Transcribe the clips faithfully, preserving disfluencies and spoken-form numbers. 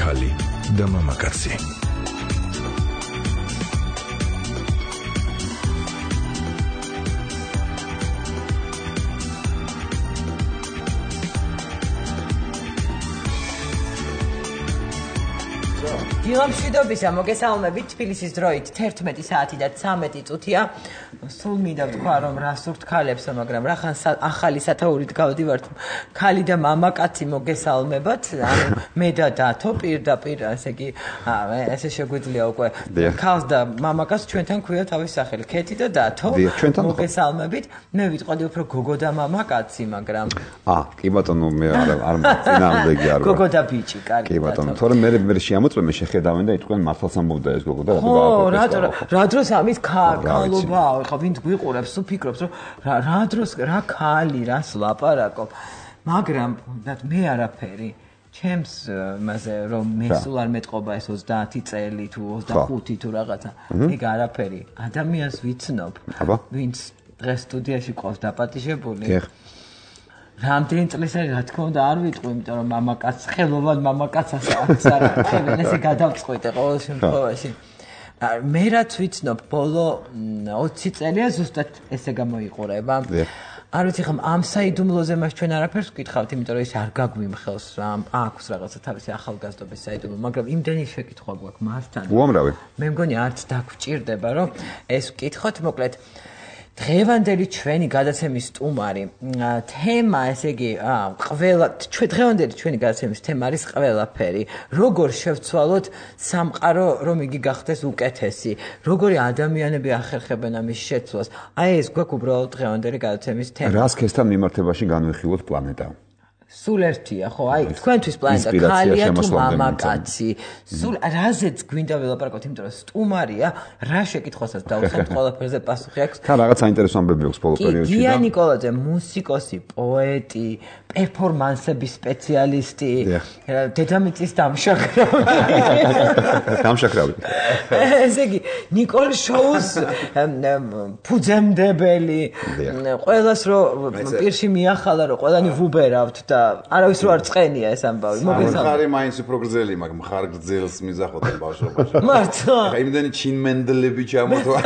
ახალი და მამაკაცი. დილამშვიდობისა, მოგესალმებით. თბილისის დროით თერთმეტი საათი და ცამეტი წუთია. სულ მინდა ვთქვა, რომ რა სურთ ქალებსა, მაგრამ რახან ახალი სათაურით გავდივართ, ქალი და მამაკაცი მოგესალმებათ. ანუ მე და დათო პირდაპირ, ესე იგი, ესე შეგვიძლია უკვე ქალს და მამაკაცს ჩვენთან ქვია თავის სახელი. ქეთი და დათო მოგესალმებით. მე ვიტყოდი უფრო გოგო და მამაკაცი, მაგრამ აა, კი ბატონო, მე არ არ წინააღმდეგი არ ვარ. გოგო და ბიჭი, კარგი. კი ბატონო, თორემ მე მე შეამოწმე მე შეხედავენ და იტყვიან მართლაც ამბობდა ეს გოგო და რატო გააკეთეს. ხო, რა რა დროს ამის ქალობაა, ხო, ვინც გვიყურებს, თუ ფიქრობს, რომ რა დროს რა ქალი, რას ლაპარაკობ. მაგრამ მე არაფერი ჩემს მასე რომ მე სულ არ მეტყობა ეს ოცდაათი წელი თუ ოცდახუთი თუ რაღაცა. ეგ არაფერი. ადამიანს ვიცნობ, ვინც დღეს სტუდიაში ყავს დაპატიჟებული. რამდენი წლის არის, რა თქმა უნდა, არ ვიტყვი, იმიტომ რომ მამაკაც, ხელოვან მამაკაცს არ ახებენ, ესე გადავწყვიტე ყოველ შემთხვევაში. მე რაც ვიცნობ, ბოლო ოცი წელია ზუსტად ესე გამოიყურება. არ ვიცი ხომ ამ საიდუმლოზე მას ჩვენ არაფერს ვკითხავთ, იმიტომ რომ ის არ გაგვიმხელს რა, აქვს რაღაცა თავისი ახალგაზრდობის საიდუმლო, მაგრამ იმდენი შეკითხვა გვაქვს მასთან. უამრავი. მე მგონი არც დაგვჭირდება, რომ ეს ვკითხოთ, მოკლედ დღევანდელი ჩვენი გადაცემის სტუმარი თემა, ესე იგი, ყველა დღევანდელი ჩვენი გადაცემის თემა არის ყველაფერი. როგორ შევცვალოთ სამყარო, რომ იგი გახდეს უკეთესი? როგორი ადამიანები ახერხებენ ამის შეცვლას? აი ეს გვაქვს უბრალოდ დღევანდელი გადაცემის თემა. რას ქესთან მიმართებაში განვიხილოთ პლანეტა? სულ ერთია, ხო, აი, თქვენთვის პლანეტა ქალია თუ მამაკაცი. სულ რაზეც გვინდა ველაპარაკოთ, იმიტომ რომ სტუმარია, რა შეკითხვასაც დავუხსენთ, ყველაფერზე პასუხი აქვს. თან რაღაც საინტერესო ამბები აქვს ბოლო პერიოდში და გია ნიკოლაძე, მუსიკოსი, პოეტი, პერფორმანსების სპეციალისტი, დედამიწის დამშაქრავი. დამშაქრავი. ესე იგი, ნიკოლ შოუს ფუძემდებელი, ყველას რო პირში მიახალა, რომ ყველანი ვუბერავთ და არავის რო არ წყენია ეს ამბავი. მოგესალმებით. მხარი მაინც უფრო გრძელი, მაგრამ მხარ გრძელს მიზახოდნენ ბავშვობაში. მართლა. იმდენი ჩინმენდლები ჩამოთვა.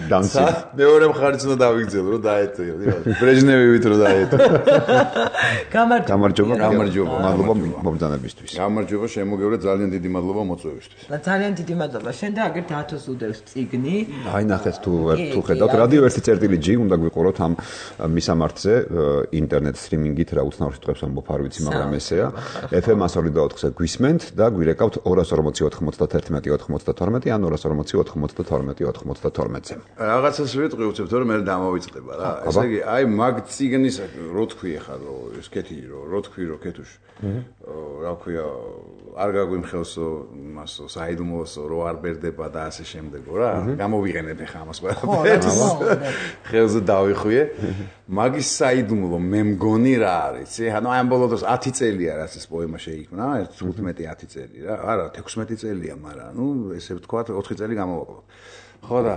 დამცი. მეორე მხარიც უნდა დავიგრძელო, რომ დაეტო. ბრეჟნევივით რო დაეტო. გამარჯობა. გამარჯობა. მადლობა მომბრძანებისთვის. გამარჯობა, შემოგევრე, ძალიან დიდი მადლობა მოწვევისთვის. ძალიან დიდი მადლობა. შენ და აგერ დათოს უდევს წიგნი. აი ნახეთ თუ თუ ხედავთ, რადიო ერთი წერტილი ჯი უნდა გვიყუროთ ამ მისამართზე ინტერნეტ სტრიმინგით რა უცნაურ სიტყვებს ამბობ არ ვიცი, მაგრამ ესეა. ეფ ემ one oh four-ზე გვისმენთ და გვირეკავთ ორი ორმოცი ოთხ ოცდაათი ოცდათორმეტი ან ორი ორმოცი ოთხ ოცდათორმეტი ოცდათორმეტზე. რაღაცას ვიტყვი უცებთ, რომ მე დამოვიწყდება რა. ესე იგი, აი მაგ წიგნის რო თქვი ხა რომ ეს კეთი რომ რო თქვი რომ კეთუш. რა ქვია, არ გაგვიმხელსო მასო საიდუმლოსო რო არ ბერდება და ასე შემდეგო რა. გამოვიყენებ ხა ამას ყველაფერს. ხელზე დავიხვიე. მაგის საიდუმლო მე მგონი რა არის, ანუ აი ამ ბოლო დროს ათი წელია რაც ეს პოემა შეიქმნა, თხუთმეტი ათი წელი რა, არა, ექვსმეტი წელია, მაგრამ ნუ ესე ვთქვათ, ოთხი წელი გამოვაკლოთ. ხო და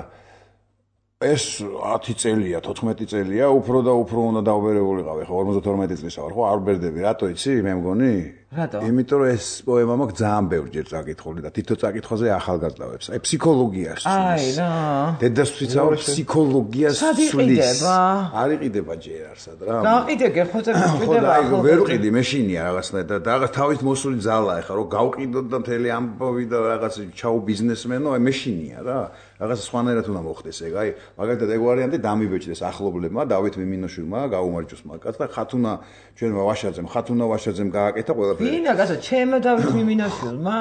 ეს ათი წელია, თოთხმეტი წელია, უფრო და უფრო უნდა დავბერებულიყავი, ხო, ორმოცდათორმეტი წლისა ვარ, ხო, არ ვბერდები, რატო იცი, მე მგონი? რატო? იმიტომ რომ ეს პოემა მაქვს ძალიან ბევრჯერ წაკითხული და თითო წაკითხვაზე ახალგაზრდავებს. აი ფსიქოლოგიას სულის. აი რა. დედას ვციცავ ფსიქოლოგიას სულის. არ იყიდება ჯერ არსად რა. გაყიდე, ხო წერს კიდევ ახლა. ხო, ვერ ვყიდი, მეშინია რაღაცნაირად და რაღაც თავით მოსული ძალა ეხა რომ გავყიდოთ და მთელი ამბავი და რაღაც ჩაუ ბიზნესმენო, აი მეშინია რა. რაღაც სხვანაირად უნდა მოხდეს ეგ. აი მაგალითად ეგ ვარიანტი დამიბეჭდეს ახლობლებმა, დავით მიმინოშვილმა, გაუმარჯოს მაგას და ხათუნა ჩვენმა ვაშაძემ, ხათუნა ვაშაძემ გააკეთა ყველაფერი. ვინა გასო, ჩემო დავით მიმინოშვილმა?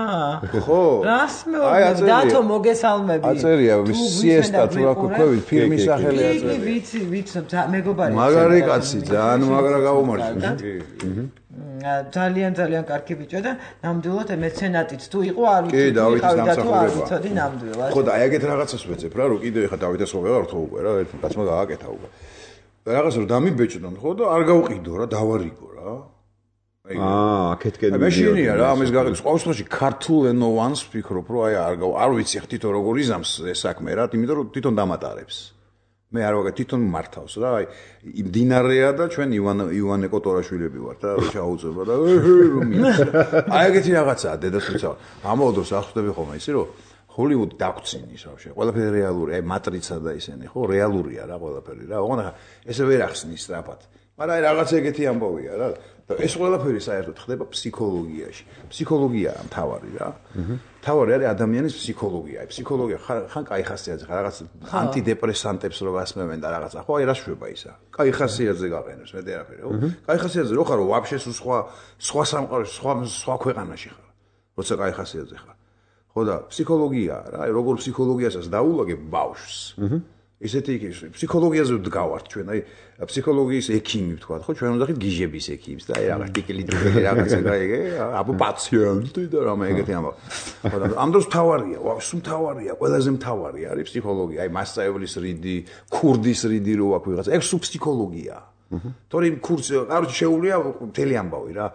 ხო. რას მეუბნები? დათო მოგესალმები. აწერია სიესტა თუ რა ქვია, ფილმის სახელი აწერია. ვიცი, ვიცი, მეგობარი. მაგარი კაცი, ძალიან მაგრა გაუმარჯოს. კი. ძალიან ძალიან კარგი ბიჭო და ნამდვილად მეცენატიც თუ იყო არ ვიცი. კი, დავითის დამსახურება. ვიცოდი ნამდვილად. ხო და აი ეგეთ რაღაცას ვეცებ რა, რომ კიდე ეხა დავითას ხო ვეღარ თო უკვე რა, ერთ კაცმა გააკეთა უკვე. რაღაც რომ დამიბეჭდონ ხო და არ გავყიდო რა, დავარიგო რა. აა, აქეთკენ მეშინია რა, ამის გაყიდოს. ყოველ შემთხვევაში ქართულ ენოვანს ვფიქრობ, რომ აი არ არ ვიცი ხ თვითონ როგორ იზამს ეს საქმე რა, იმიტომ რომ თვითონ დამატარებს. მე არ ვაგე თვითონ მართავს რა, აი მდინარეა და ჩვენ ივან ივანე კოტორაშვილები ვართ და ჩაუწება და რომ აი ეგეთი რაღაცაა დედასუცა. ამავე დროს ახსოვდები ხოლმე ისი რომ ჰოლივუდი დაგწინის ბავშვი. ყველაფერი რეალური, აი მატრიცა და ისინი, ხო, რეალურია რა ყველაფერი რა. ოღონდ ესე ვერ ახსნის სწრაფად. მაგრამ აი რაღაც ეგეთი ამბავია რა. და ეს ყველაფერი საერთოდ ხდება ფსიქოლოგიაში. ფსიქოლოგიაა მთავარი რა. მთავარი არის ადამიანის ფსიქოლოგია. აი ფსიქოლოგია ხან კაი ხასიათზე ხარ რაღაც ანტიდეპრესანტებს რო გასმევენ და რაღაცა. ხო, აი რა შვება ისა. კაი ხასიათზე გაყენებს მე თერაპია, ხო? კაი ხასიათზე რო ხარ, ვაფშე სხვა სხვა სამყაროში, სხვა სხვა ქვეყანაში ხარ. როცა კაი ხასიათზე ხარ. ხო და ფსიქოლოგია რა, აი როგორ ფსიქოლოგიასაც დაულაგებ ბავშვს. ისეთი იქ ფსიქოლოგიაზე ვდგავართ ჩვენ, აი ფსიქოლოგიის ექიმი ვთქვა, ხო, ჩვენ უნდა ხით გიჟების ექიმს და აი რაღაც ტიკილი ტიკილი რაღაცა გაიგე, აბა პაციენტი და რამე ეგეთი ამბავი. ხო და ამ დროს მთავარია, ვაფშე მთავარია, ყველაზე მთავარი არის ფსიქოლოგია, აი მასწავლებლის რიდი, ქურდის რიდი რო აქვს ვიღაცა, ეს სულ ფსიქოლოგია. თორე იმ კურსი, კაროჩე შეუულია მთელი ამბავი რა.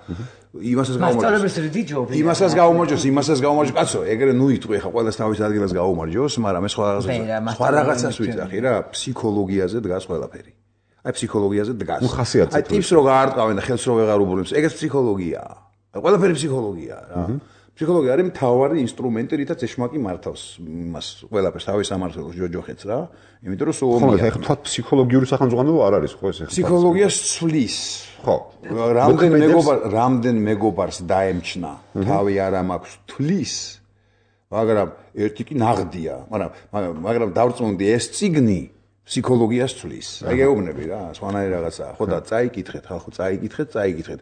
იმასაც გაუმარჯოს. მასწავლებლის რიდი ჯობია. იმასაც გაუმარჯოს, იმასაც გაუმარჯოს. კაცო, ეგრე ნუ იტყვი ხა ყველას თავის ადგილას გაუმარჯოს, მაგრამ ეს სხვა რაღაცას სხვა რაღაცას ვიძახი რა, ფსიქოლოგიაზე დგას ყველაფერი. აი ფსიქოლოგიაზე დგას. აი ტიპს რო გაარტყავენ და ხელს რო ვეღარ უბრუნებს, ეგეც ფსიქოლოგიაა. ყველაფერი ფსიქოლოგიაა რა. ფსიქოლოგია არის მთავარი ინსტრუმენტი, რითაც ეშმაკი მართავს იმას ყველაფერს თავის სამართლოს ჯოჯოხეთს რა. იმიტომ რომ სულ ხომ ეხლა თქვა ფსიქოლოგიური სახელმძღვანელო არ არის ხო ეს ეხლა. ფსიქოლოგია სვლის. ხო. რამდენ მეგობარ რამდენ მეგობარს დაემჩნა, თავი არა მაქვს თვლის. მაგრამ ერთი კი ნაღდია, მაგრამ მაგრამ დავწმუნდი ეს წიგნი ფსიქოლოგიას თვლის. აი გეუბნები რა, სხვანაირი რაღაცაა. ხო და წაიკითხეთ, ხალხო, წაიკითხეთ, წაიკითხეთ.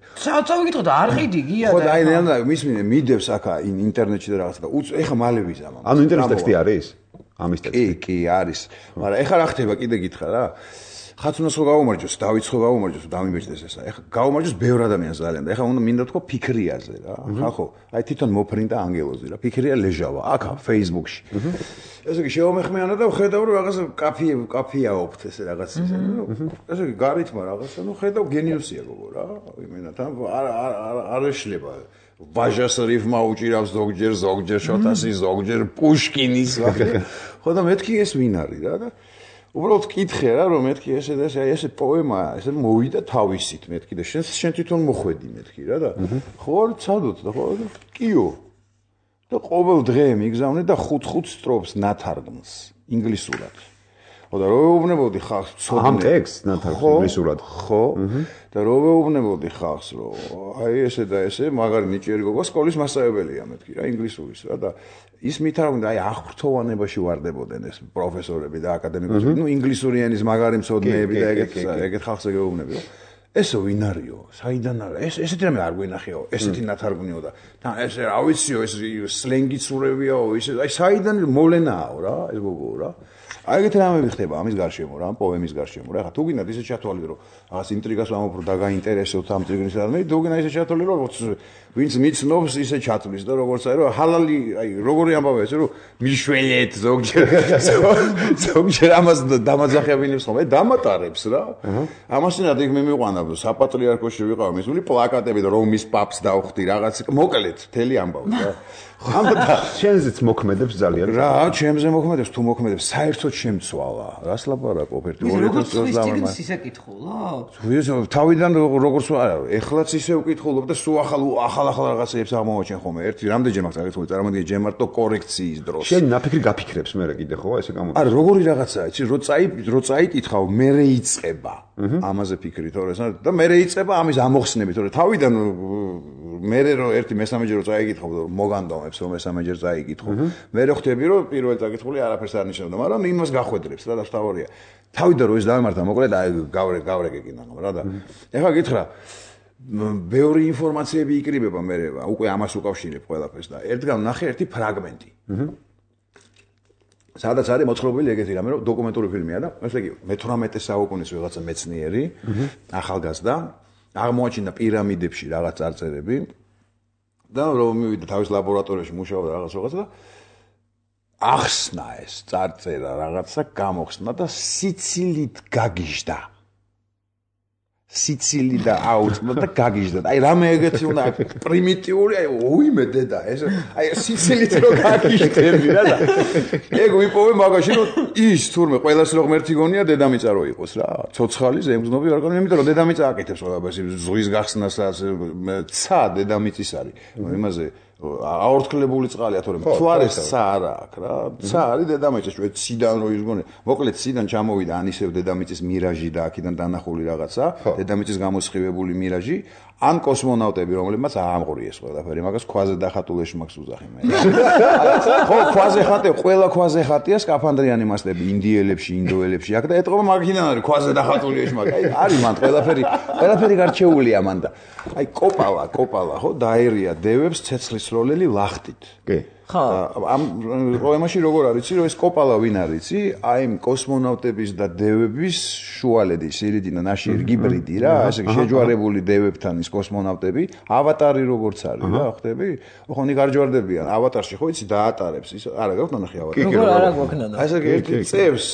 წავიკითხოთ და არ ყიდი გია და ხო და აი ნელა მის მიდევს აქა ინტერნეტში და რაღაცა და ეხა მალე ვიზამ. ანუ ინტერნეტის ტექსტი არის? ამის ტექსტი. კი, კი, არის. მაგრამ ეხა რა ხდება, კიდე გითხრა რა. ხაცუნას ხო გაუმარჯოს, დავითს ხო გაუმარჯოს, დამიბეჭდეს ესა. ეხა გაუმარჯოს ბევრ ადამიანს ძალიან და ეხა უნდა მინდა თქვა ფიქრიაზე რა. ხალხო, აი თვითონ მოფრინდა ანგელოზი რა. ფიქრია ლეჟავა, აქა Facebook-ში. ესე იგი შეომეხმიანა და ხედავ რომ რაღაც კაფე კაფეაობთ ესე რაღაც ისე. ესე იგი გარითმა რაღაცა, ნუ ხედავ გენიუსია გოგო რა. იმენად არ არ არ ეშლება. ვაჟას რიფმა უჭირავს ზოგჯერ, ზოგჯერ შოთასი, ზოგჯერ პუშკინის ვახე. ხო და მეთქი ეს ვინ არის რა და უბრალოდ კითხე რა რომ მეთქი ესე და ესე ესე პოემაა, ესე მოვიდა თავისით მეთქი და შენ შენ თვითონ მოხვედი მეთქი რა და ხო არ ცადოთ და ხო კიო და ყოველ დღე მიგზავნე და ხუთ-ხუთ სტროფს ნათარგმნს ინგლისურად. ხო და რო ვეუბნებოდი ხალხს ცოდნე ამ ტექსტს ნათარგმნს ინგლისურად. ხო და რო ვეუბნებოდი ხალხს რომ აი ესე და ესე მაგარი ნიჭიერი გოგო სკოლის მასწავლებელია მეთქი რა ინგლისურის რა და ის მითარგმნდა აი აღფრთოვანებაში ვარდებოდნენ ეს პროფესორები და აკადემიკოსები, ნუ ინგლისური ენის მაგარი მცოდნეები და ეგეთ ეგეთ ხალხს ეგეუბნები რომ ესო ვინ არისო? საიდან არის? ეს ესეთი რამე არ გვენახეო, ესეთი ნათარგმნიო და თან ეს რა ვიციო, ეს სლენგი ცურებიაო, ის აი საიდან მოვლენაო რა, ეს გოგო რა. აი ეგეთი რამე ხდება ამის გარშემო რა, პოემის გარშემო რა. ხა თუ გინდათ ისე ჩათვალე რომ რაღაც ინტრიგას ვამოფრო და გაინტერესოთ ამ წიგნის რამე, თუ გინდა ისე ჩათვალე რომ ვინც მიცნობს ისე ჩათვლის და როგორც აი რომ ჰალალი, აი როგორი ამბავია ეს რომ მიშველეთ ზოგჯერ ზოგჯერ ამას დამაძახებინებს ხოლმე, დამატარებს რა. ამასინად იქ მე მიყვანა საპატრიარქოში ვიყავ მისული პლაკატები და რომის პაპს დავხვდი რაღაც მოკლედ მთელი ამბავი რა. ამბა შენზეც მოქმედებს ძალიან. რა, ჩემზე მოქმედებს, თუ მოქმედებს, საერთოდ შემცვალა. რას ლაპარაკობ ერთი ორი წელს დავამატე. ისე კითხულობ? თავიდან როგორც არა, ეხლაც ისე ვკითხულობ და სულ ახალ ახალ ახალ რაღაცებს აღმოვაჩენ ხოლმე. ერთი რამდენჯერ მაგ წაკითხული, წარმოგიდგენთ ჯემარტო კორექციის დროს. შენ ნაფიქრი გაფიქრებს მე კიდე ხო, ესე გამოდის. არა, როგორი რაღაცაა, იცი, რო წაი რო წაიკითხავ, მე რეიწება. ამაზე ფიქრი თორე და მე რეიწება ამის ამოხსნები თორე თავიდან მე რო ერთი მესამეჯერ რო წაიკითხავ, მოგანდომებს რომ მესამეჯერ წაიკითხო. მე რო ხვდები რომ პირველ წაკითხული არაფერს არ ნიშნავდა, მაგრამ იმას გახვედრებს რა და თავარია. თავიდან რო ის დავემართა, მოკლედ აი გავრე გავრეკე კიდე რა და ეხლა გითხრა ბევრი ინფორმაციები იკრიბება მე უკვე ამას უკავშირებ ყველაფერს და ერთგან ნახე ერთი ფრაგმენტი. სადაც არის მოთხრობილი ეგეთი რამე რომ დოკუმენტური ფილმია და ესე იგი მეთვრამეტე საუკუნის ვიღაცა მეცნიერი ახალგაზრდა აღმოაჩინა პირამიდებში რაღაც წარწერები და რომ მივიდა თავის ლაბორატორიაში მუშაობდა რაღაც რაღაცა და ახსნა ეს წარწერა რაღაცა გამოხსნა და სიცილით გაგიჟდა. სიცილი და აუწყდა და გაგიჟდა. აი რამე ეგეთი უნდა პრიმიტიული, აი ოიმე დედა, ეს აი სიცილით რო გაგიჟდები რა და ეგ ვიპოვე მაგაში რომ ის თურმე ყველას რო ღმერთი გონია დედამიწა რო იყოს რა. ცოცხალი ზემგზნობი არ გონია, იმიტომ რომ დედამიწა აკეთებს ყველაფერს, ზღვის გახსნასაც, ცა დედამიწის არის. იმაზე აორთქლებული წყალია, თორემ მთვარეს ცა არა აქვს რა. ცა არის დედამიწა, ჩვენ ციდან რო ისგონე. მოკლედ ციდან ჩამოვიდა ან ისევ დედამიწის მირაჟი და აქედან დანახული რაღაცა, დედამიწის გამოსხივებული მირაჟი, ან კოსმონავტები, რომლებმაც აამღვრიეს ყველაფერი, მაგას ქვაზე დახატულ ეშმაკს უძახი მე. ხო, ქვაზე ხატე, ყველა ქვაზე ხატია სკაფანდრიანი მასტები, ინდიელებში, ინდოელებში, აქ და ეტყობა მაგიდან არის ქვაზე დახატული ეშმაკი. აი, არის მან ყველაფერი, ყველაფერი გარჩეულია მან და აი კოპალა, კოპალა, ხო, დაერია დევებს ცეცხლის როლელი ლახტით. კი. ხო. ამ პრობლემაში როგორ არის, რომ ეს კოპალა ვინ არის, აი კოსმონავტების და დევების შუალედი, სირიდი და ნაშიერი გიბრიდი რა, ასე შეჯვარებული დევებთან ის კოსმონავტები, ავატარი როგორც არის რა, ხვდები? ხო, ნი გარჯვარდებიან ავატარში, ხო იცი დაატარებს ის, არა გაქვთ ნახე ავატარი. როგორ არა გვაქვს და. ასე ერთი წევს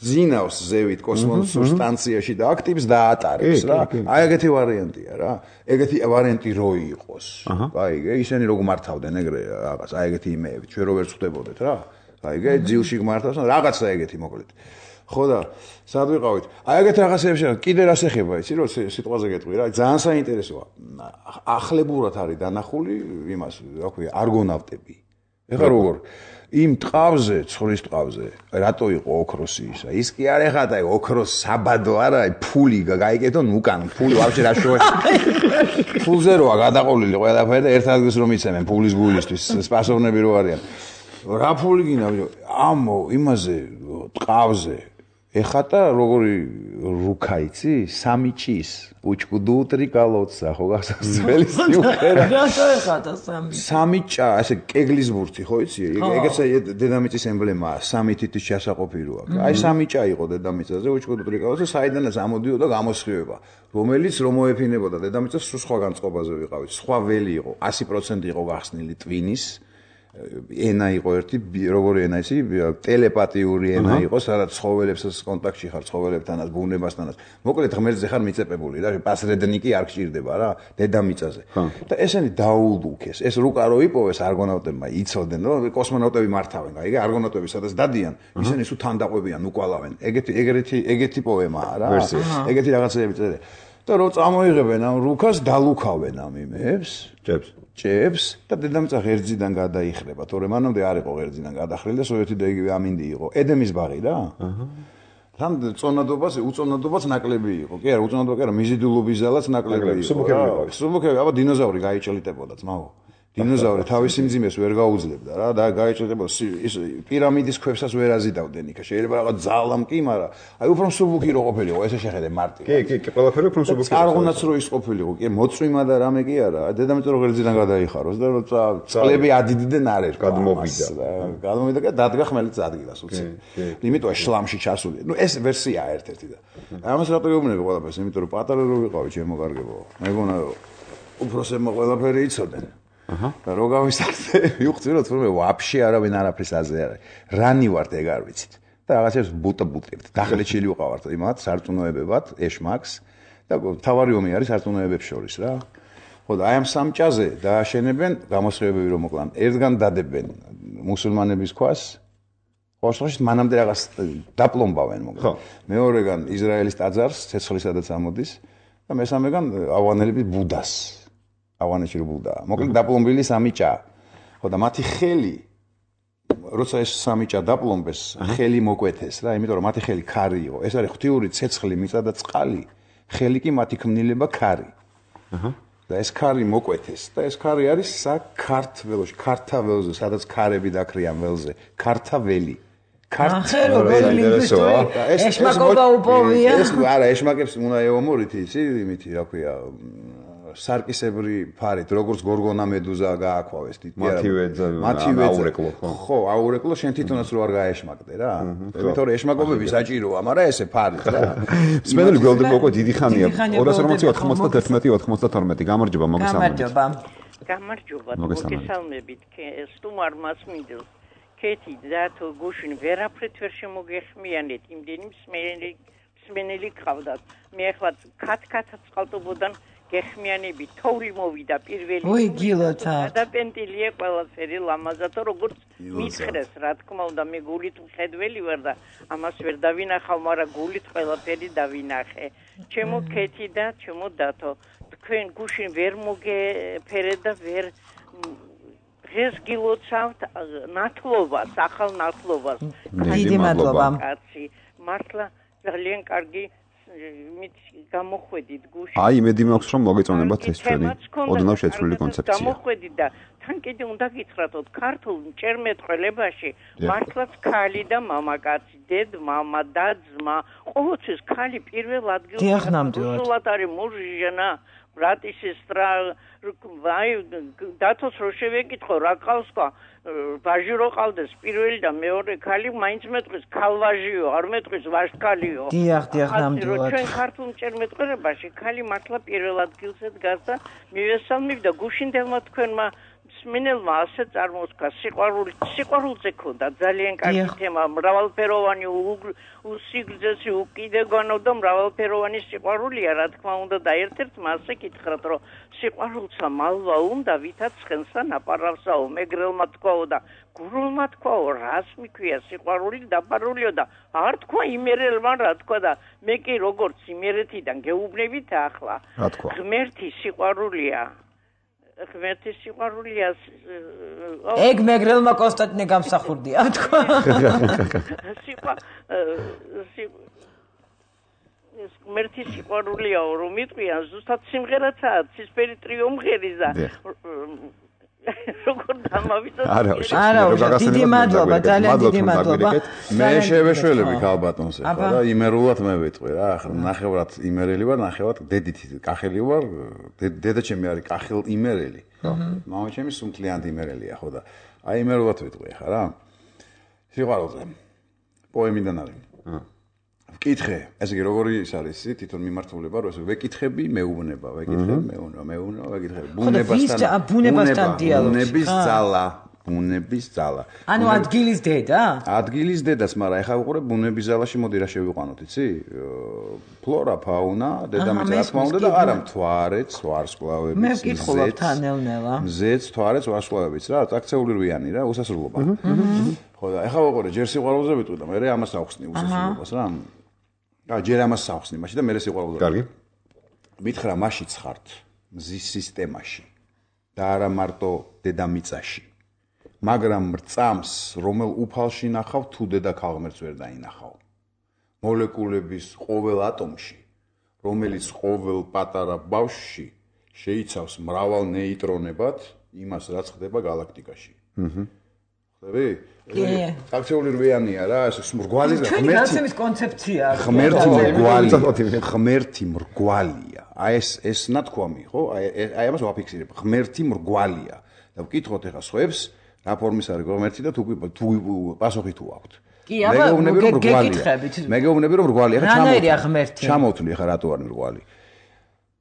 ძინავს ზევით კოსმოსურ სტანციაში და აქტივს დაატარებს რა. აი ეგეთი ვარიანტია რა. ეგეთი ვარიანტი რო იყოს. აი ისინი რო გმართავდნენ ეგრე რაღაც, აი ეგეთი იმეები, ჩვენ რო ვერ ხვდებოდეთ რა. აი ეგ ძილში გმართავს, რაღაცა ეგეთი მოკლედ. ხო და სად ვიყავით? აი ეგეთ რაღაცებს შეგ კიდე რას ეხება, იცი რომ სიტყვაზე გეტყვი რა, ძალიან საინტერესოა. ახლებურად არის დანახული იმას, რა ქვია, არგონავტები. ეხლა როგორ იმ ტყავზე, ცხრის ტყავზე, რატო იყო ოქროსი ისა? ის კი არ ეხადა, აი ოქროს საბადო არა, აი ფული გაიგეთონ უკან, ფული ვაფშე რა შოე. ფულზე როა გადაყოლილი ყველაფერი და ერთ ადგილს რომ იცემენ ფულის გულისთვის, სპასოვნები რო არიან. რა ფული გინდა? ამო, იმაზე ტყავზე ეხატა როგორი რუკა იცი? სამი ჭის, უჩკუდუ ტრიკალოცა, ხო გახსოვს ძველი სიმღერა? რატო ეხატა სამი? სამი ჭა, ასე კეგლის ბურთი, ხო იცი? ეგეც დედამიწის ემბლემაა, სამი თითის ჩასაყოფი რო აქვს. აი სამი ჭა იყო დედამიწაზე, უჩკუდუ ტრიკალოცა, საიდანაც ამოდიოდა გამოსხივება, რომელიც რომ მოეფინებოდა დედამიწას სულ სხვა განწყობაზე ვიყავით. სხვა ველი იყო, ასი პროცენტი იყო გახსნილი ტვინის. ენა იყო ერთი, როგორი ენა ისი, ტელეპათიური ენა იყო, სადაც ცხოველებსაც კონტაქტში ხარ, ცხოველებთანაც, ბუნებასთანაც. მოკლედ ღმერთზე ხარ მიწეპებული რა, პასრედნიკი არ გჭირდება რა, დედამიწაზე. და ესენი დაულდუქეს. ეს რუკა რო იპოვეს არგონავტებმა, იცოდნენ, რომ კოსმონავტები მართავენ, აი, არგონავტები სადაც დადიან, ისინი სულ თან დაყვებიან, უკვალავენ. ეგეთი ეგეთი ეგეთი პოემაა რა. ეგეთი რაღაცები წერე. და რო წამოიღებენ ამ რუკას, დალუქავენ ამ იმებს, ჭებს. ჭებს და დედამიწა ღერძიდან გადაიხრება, თორემ მანამდე არ იყო ღერძიდან გადახრილი და სოიეთი და იგივე ამინდი იყო. ედემის ბაღი რა. აჰა. თან წონადობას, უწონადობაც ნაკლები იყო. კი არა, უწონადობა კი არა, მიზიდულობის ძალაც ნაკლები იყო. სუბუქები იყო. სუბუქები, აბა დინოზავრი გაიჭლიტებოდა, ძმაო. დინოზავრი თავისი მძიმეს ვერ გაუძლებდა რა და გაიჭლიტებოდა ის პირამიდის ქვებსაც ვერ აზიდავდნენ იქ. შეიძლება რაღაც ძალამ კი, მაგრამ აი უფრო სუბუქი რო ყოფილიყო, ესე შეხედე მარტივ. კი, კი, კი, ყველაფერი უფრო სუბუქი. წარღუნაც რო ის ყოფილიყო, კი, მოწვიმა და რამე კი არა. დედამიწა რო ღერძიდან გადაიხაროს და წყლები ადიდნენ არ ერქვა. გადმოვიდა. გადმოვიდა და დადგა ხმელეთს ადგილას უცი. იმიტომ შლამში ჩასული. ნუ ეს ვერსიაა ერთ-ერთი და. ამას რატო გეუბნები ყველაფერს? იმიტომ რომ პატარა რო ვიყავი ჩემო კარგებო. მეგონა უფროსებმა ყველაფერი იცოდნენ. აჰა. და რო გავისახე, ვიხვდი რომ თურმე ვაფშე არავინ არაფერს აზე არა. რანი ვართ ეგ არ ვიცით. და რაღაცებს ბუტა-ბუტებთ. დახელეჩილი ვიყავართ იმათ სარწმუნოებებად, ეშმაკს და თავარი ომი არის სარწმუნოებებს შორის რა. ხო და აი ამ სამჭაზე დააშენებენ გამოსხივებები რომ მოკლან. ერთგან დადებენ მუსულმანების ქვას. ხოშხოშ მანამდე რაღაც დაპლომბავენ მოკლან. მეორეგან ისრაელის ტაძარს, ცეცხლისადაც ამოდის და მესამეგან ავღანელების ბუდას. ავღანეთში რო ბუდა. მოკლედ დაპლომბილი სამი ჭა. ხო და მათი ხელი როცა ეს სამი ჭა დაპლომბეს, ხელი მოკვეთეს რა, იმიტომ რომ მათი ხელი ქარი იყო. ეს არის ღვთიური ცეცხლი, მიწა და წყალი. ხელი კი მათი ქმნილება ქარი. აჰა. და ეს ქარი მოკვეთეს და ეს ქარი არის საქართველოში, ქართაველზე, სადაც ქარები დაკრიან ველზე. ქართაველი. ქართველი ეშმაკობა უპოვია. ეს არა, ეშმაკებს უნდა ეომორით იცი, იმითი, რა ქვია, სარკისებრი ფარით, როგორც გორგონა მედუზა გააქვავეს თითქოს. მათივე აურეკლო ხო? ხო, აურეკლო შენ თვითონაც რო არ გაეშმაკდე რა. იმიტომ რომ ეშმაკობები საჭიროა, მაგრამ ესე ფარით რა. სპენელი გველდები უკვე დიდი ხანია. ორას ორმოცი ოთხმოცდაათი ოცდათორმეტი გამარჯობა მოგესალმებით. გამარჯობა. გამარჯობა. მოგესალმებით. სტუმარ მსმენელი გყავდათ. მე ახლა კათ-კათაც ყავდებოდან გეხმიანები თოვლი მოვიდა პირველი. ოი გილოთა. დაპენტილია ყველაფერი ლამაზად, როგორც მითხრეს, რა თქმა უნდა, მე გულით მხედველი ვარ და ამას ვერ დავინახავ, მაგრამ გულით ყველაფერი დავინახე. ჩემო ქეთი და ჩემო დათო, თქვენ გუშინ ვერ მოგეფერეთ და ვერ დღეს გილოცავთ ნათლობას, ახალ ნათლობას. დიდი მადლობა. კაცი, მართლა ძალიან კარგი მით გამოხვედით გუშინ. აი, იმედი მაქვს, რომ მოგეწონებათ ეს ჩვენი ოდნავ შეცვლილი კონცეფცია. გამოხვედით და თან კიდე უნდა გითხრათოთ, ქართულ მჭერმეტყველებაში მართლაც ქალი და მამაკაცი, დედ, მამა და ძმა, ყოველთვის ქალი პირველ ადგილს სულად არის მუჟჟენა, ბრატი, სესტრა, აი, დათოს რო შევეკითხო, რა ყავს თქვა, ვაჟი რო ყავდეს პირველი და მეორე ქალი, მაინც მეტყვის ქალვაჟიო, არ მეტყვის ვაჟქალიო. დიახ, დიახ, ნამდვილად. ჩვენ ქართულ მჭერმეტყველებაში ქალი მართლა პირველ ადგილზე დგას და მივესალმებ და გუშინდელმა თქვენმა მსმენელმა ასე წარმოსქა სიყვარული, სიყვარულზე ქონდა ძალიან კარგი თემა, მრავალფეროვანი უსიგრძესი უკიდეგანო და მრავალფეროვანი სიყვარულია, რა თქმა უნდა და ერთ-ერთმა ასე გითხრათ, რომ სიყვარულსა მალვა უნდა, ვითაც ცხენსა ნაპარავსაო, მეგრელმა თქვაო და გურულმა თქვაო, რას მიქვია სიყვარული დაფარულიო და არ თქვა იმერელმა, რა თქვა და მე კი როგორც იმერეთიდან გეუბნებით ახლა. ღმერთი სიყვარულია. ღმერთი სიყვარულია. ეგ მეგრელმა კონსტანტინე გამსახურდია, თქვა. სიყვარული ღმერთი სიყვარულია, რომ მიტყვიან, ზუსტად სიმღერაცაა, ცისფერი ტრიუმფერის და როგორ დამავიწყოთ. არა, დიდი მადლობა, ძალიან დიდი მადლობა. მე შევეშველები ქალბატონს ახლა და იმერულად მე ვიტყვი რა, ახლა ნახევრად იმერელი ვარ, ნახევრად დედით კახელი ვარ, დედა ჩემი არის კახელ იმერელი. მამა ჩემი სუნთლიანად იმერელია, ხო და აი იმერულად ვიტყვი ახლა რა. სიყვარულზე. პოემიდან არის. ვკითხე, ესე იგი როგორი ის არის ისი თვითონ მიმართულება, რომ ესე ვეკითხები, მეუბნება, ვეკითხები, მეუბნება, მეუბნება, ვეკითხები. ბუნებასთან, ბუნებასთან დიალოგი. ბუნების ძალა, ბუნების ძალა. ანუ ადგილის დედა? ადგილის დედას, მაგრამ ეხლა ვიყურე ბუნების ძალაში, მოდი რა შევიყვანოთ, იცი? ფლორა, ფაუნა, დედამიწა, რა თქმა უნდა და არა მთვარეც, ვარსკვლავებიც, მე ვკითხულობ თანელნელა. მზეც, მთვარეც, ვარსკვლავებიც რა, აქცეული რვიანი რა, უსასრულობა. ხო და ეხლა ვიყურე ჯერ სიყვარულზე ვიტყვი და მე ამას ავხსნი უსასრულობას რა. და ჯერ ამას ავხსნი მაშინ და მე სიყვარულზე. კარგი. მითხრა მაშიც ხართ მზის სისტემაში და არა მარტო დედამიწაში. მაგრამ რწამს, რომელ უფალში ნახავ, თუ დედა ქალღმერთს ვერ დაინახავ. მოლეკულების ყოველ ატომში, რომელიც ყოველ პატარა ბავშვში შეიცავს მრავალ ნეიტრონებად, იმას რაც ხდება გალაქტიკაში. აჰა. ხდები? აქცეული რვიანია რა, ეს მრგვალი და ღმერთი. ჩვენი კონცეფცია. ღმერთი მრგვალი, ღმერთი მრგვალია. აი ეს ეს ნათქვამი, ხო? აი აი ამას ვაფიქსირებ. ღმერთი მრგვალია. და ვკითხოთ ახლა სხვებს, რა ფორმის არის ღმერთი და თუ თუ პასუხი თუ აქვთ. კი, აბა გეკითხებით. მე გეუბნები რომ მრგვალია, ხა რანაირია ღმერთი? ჩამოვთვლი ხა რატო არის მრგვალი?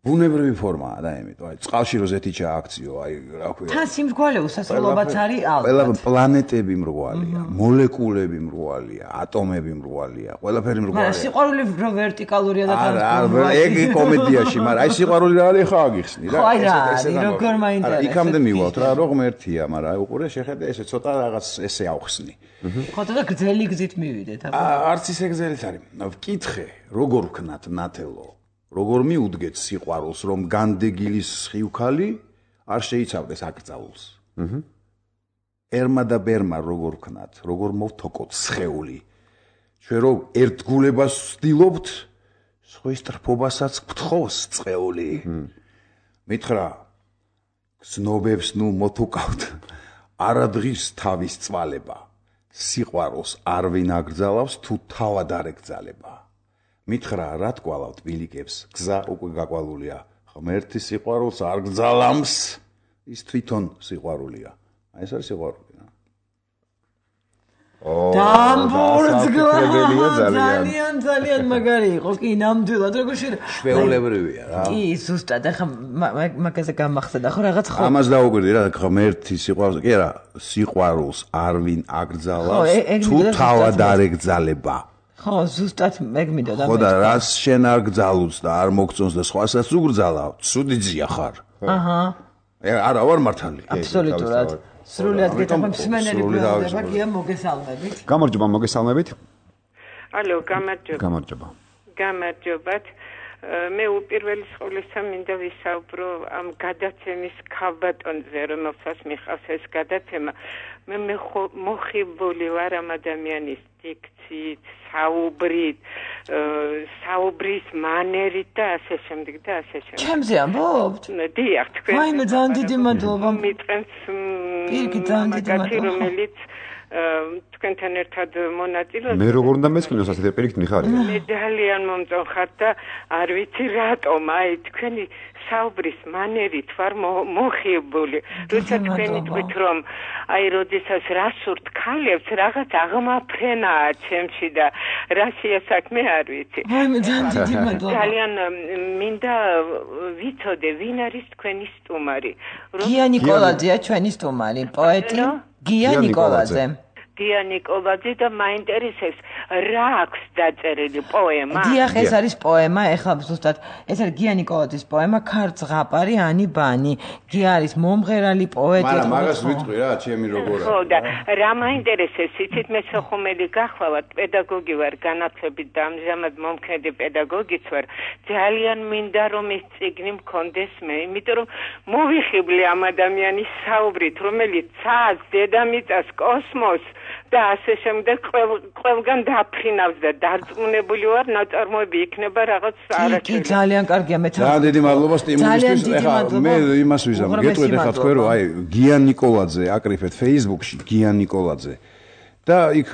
ბუნებრივი ფორმაა და ამიტომ აი წყალში როზეთი ჩააქციო, აი რა ქვია. თან სიმრგვალე უსასრულობაც არის ალბათ. ყველა პლანეტები მრგვალია, მოლეკულები მრგვალია, ატომები მრგვალია, ყველაფერი მრგვალია. მაგრამ სიყვარული რო ვერტიკალურია და თან არა, ეგ კომედიაში, მაგრამ აი სიყვარული რა არის ხა აგიხსნი რა. ხო, აი რა არის, როგორ მაინტერესებს. იქამდე მივალთ რა, რო ღმერთია, მაგრამ აი უყურე შეხედე ესე ცოტა რაღაც ესე ავხსნი. ხო და გრძელი გზით მივიდეთ, აბა. არც ისე გრძელიც არის. ვკითხე, როგორ ვქნათ ნათელო? როგორ მიუდგეთ სიყვარულს, რომ განდეგილის სხივქალი არ შეიცავდეს აკრძალულს. აჰა. ერმა და ბერმა როგორ ვქნათ, როგორ მოვთოკოთ სხეული. ჩვენ რომ ერთგულებას ვცდილობთ, სხვის ტრფობასაც გთხოვს წყეული. მითხრა, გზნობებს ნუ მოთუკავთ, არადღის თავის წვალება. სიყვარულს არ ვინ აკრძალავს, თუ თავად არ ეკრძალება. მითხრა რა თქვალავთ ბილიკებს, გზა უკვე გაკვალულია. ღმერთი სიყვარულს არ გძალამს, ის თვითონ სიყვარულია. აი ეს არის სიყვარული რა. დამბურძგლა ძალიან ძალიან მაგარი იყო, კი ნამდვილად როგორ შეიძლება ჩვეულებრივია რა. კი ზუსტად ახლა მაგაზე გამახსენდა ხო რაღაც ხო ამას დაუკვირდი რა ღმერთი სიყვარულს კი არა სიყვარულს არ ვინ აკრძალავს თუ თავად არ ეკძალება. ხო, ზუსტად მე გმინდა და ხო და რას შენ არ გძალუც და არ მოგწონს და სხვასაც უგრძალა, ცუდი ძია ხარ. აჰა. არა ვარ მართალი. აბსოლუტურად. სრულიად გეთახმები მსმენელი ბრალდება გია მოგესალმებით. გამარჯობა, მოგესალმებით. ალო, გამარჯობა. გამარჯობა. გამარჯობათ. მე უპირველეს ყოვლისა მინდა ვისაუბრო ამ გადაცემის ქალბატონზე, რომელსაც მიხავს ეს გადაცემა. მე მოხიბული ვარ ამ ადამიანის დიქციით, საუბრით, საუბრის მანერით და ასე შემდეგ და ასე შემდეგ. ჩემზე ამბობთ? დიახ, თქვენ. აი, მე ძალიან დიდი მადლობა. მიწყენს პირიქით ძალიან დიდი მადლობა. რომელიც თქვენთან ერთად მონაწილეობთ. მე როგორ უნდა მეცნიოს ასეთი პირიქით მიხარია. მე ძალიან მომწონხარ და არ ვიცი რატომ, აი თქვენი საუბრის მანერით ვარ მოხიბული. როცა თქვენი თქვით რომ აი როდესაც რასურთ ქალებს რაღაც აღმაფრენაა ჩემში და რასია საქმე არ ვიცი. აი მე ძალიან დიდი მადლობა. ძალიან მინდა ვიცოდე ვინ არის თქვენი სტუმარი. გია ნიკოლაძეა ჩვენი სტუმარი, პოეტი გია ნიკოლაძე. გია ნიკოლაძე და მაინტერესებს რა აქვს დაწერილი პოემა? დიახ, ეს არის პოემა, ეხლა ზუსტად ეს არის გია ნიკოლაძის პოემა ქარწღაპარი ანი ბანი. გია არის მომღერალი პოეტი. მაგრამ მაგას ვიტყვი რა, ჩემი როგორია. ხო და რა მაინტერესებს, იცით მე სოხუმელი გახლავართ, პედაგოგი ვარ განათლებით და ამჟამად მომქმედი პედაგოგიც ვარ. ძალიან მინდა რომ ეს წიგნი მქონდეს მე, იმიტომ რომ მოვიხიბლე ამ ადამიანის საუბრით, რომელიც ცას, დედამიწას, კოსმოსს და ასე შემდეგ ყველგან დაფრინავს და დარწმუნებული ვარ ნაწარმოები იქნება რაღაც არაჩვეულებრივი. კი, ძალიან კარგია მე ძალიან დიდი მადლობა სტიმულისთვის. ეხლა მე იმას ვიზამ, გეტყვით ეხლა თქვენ რომ აი გია ნიკოლაძე აკრიფეთ Facebook-ში, გია ნიკოლაძე. და იქ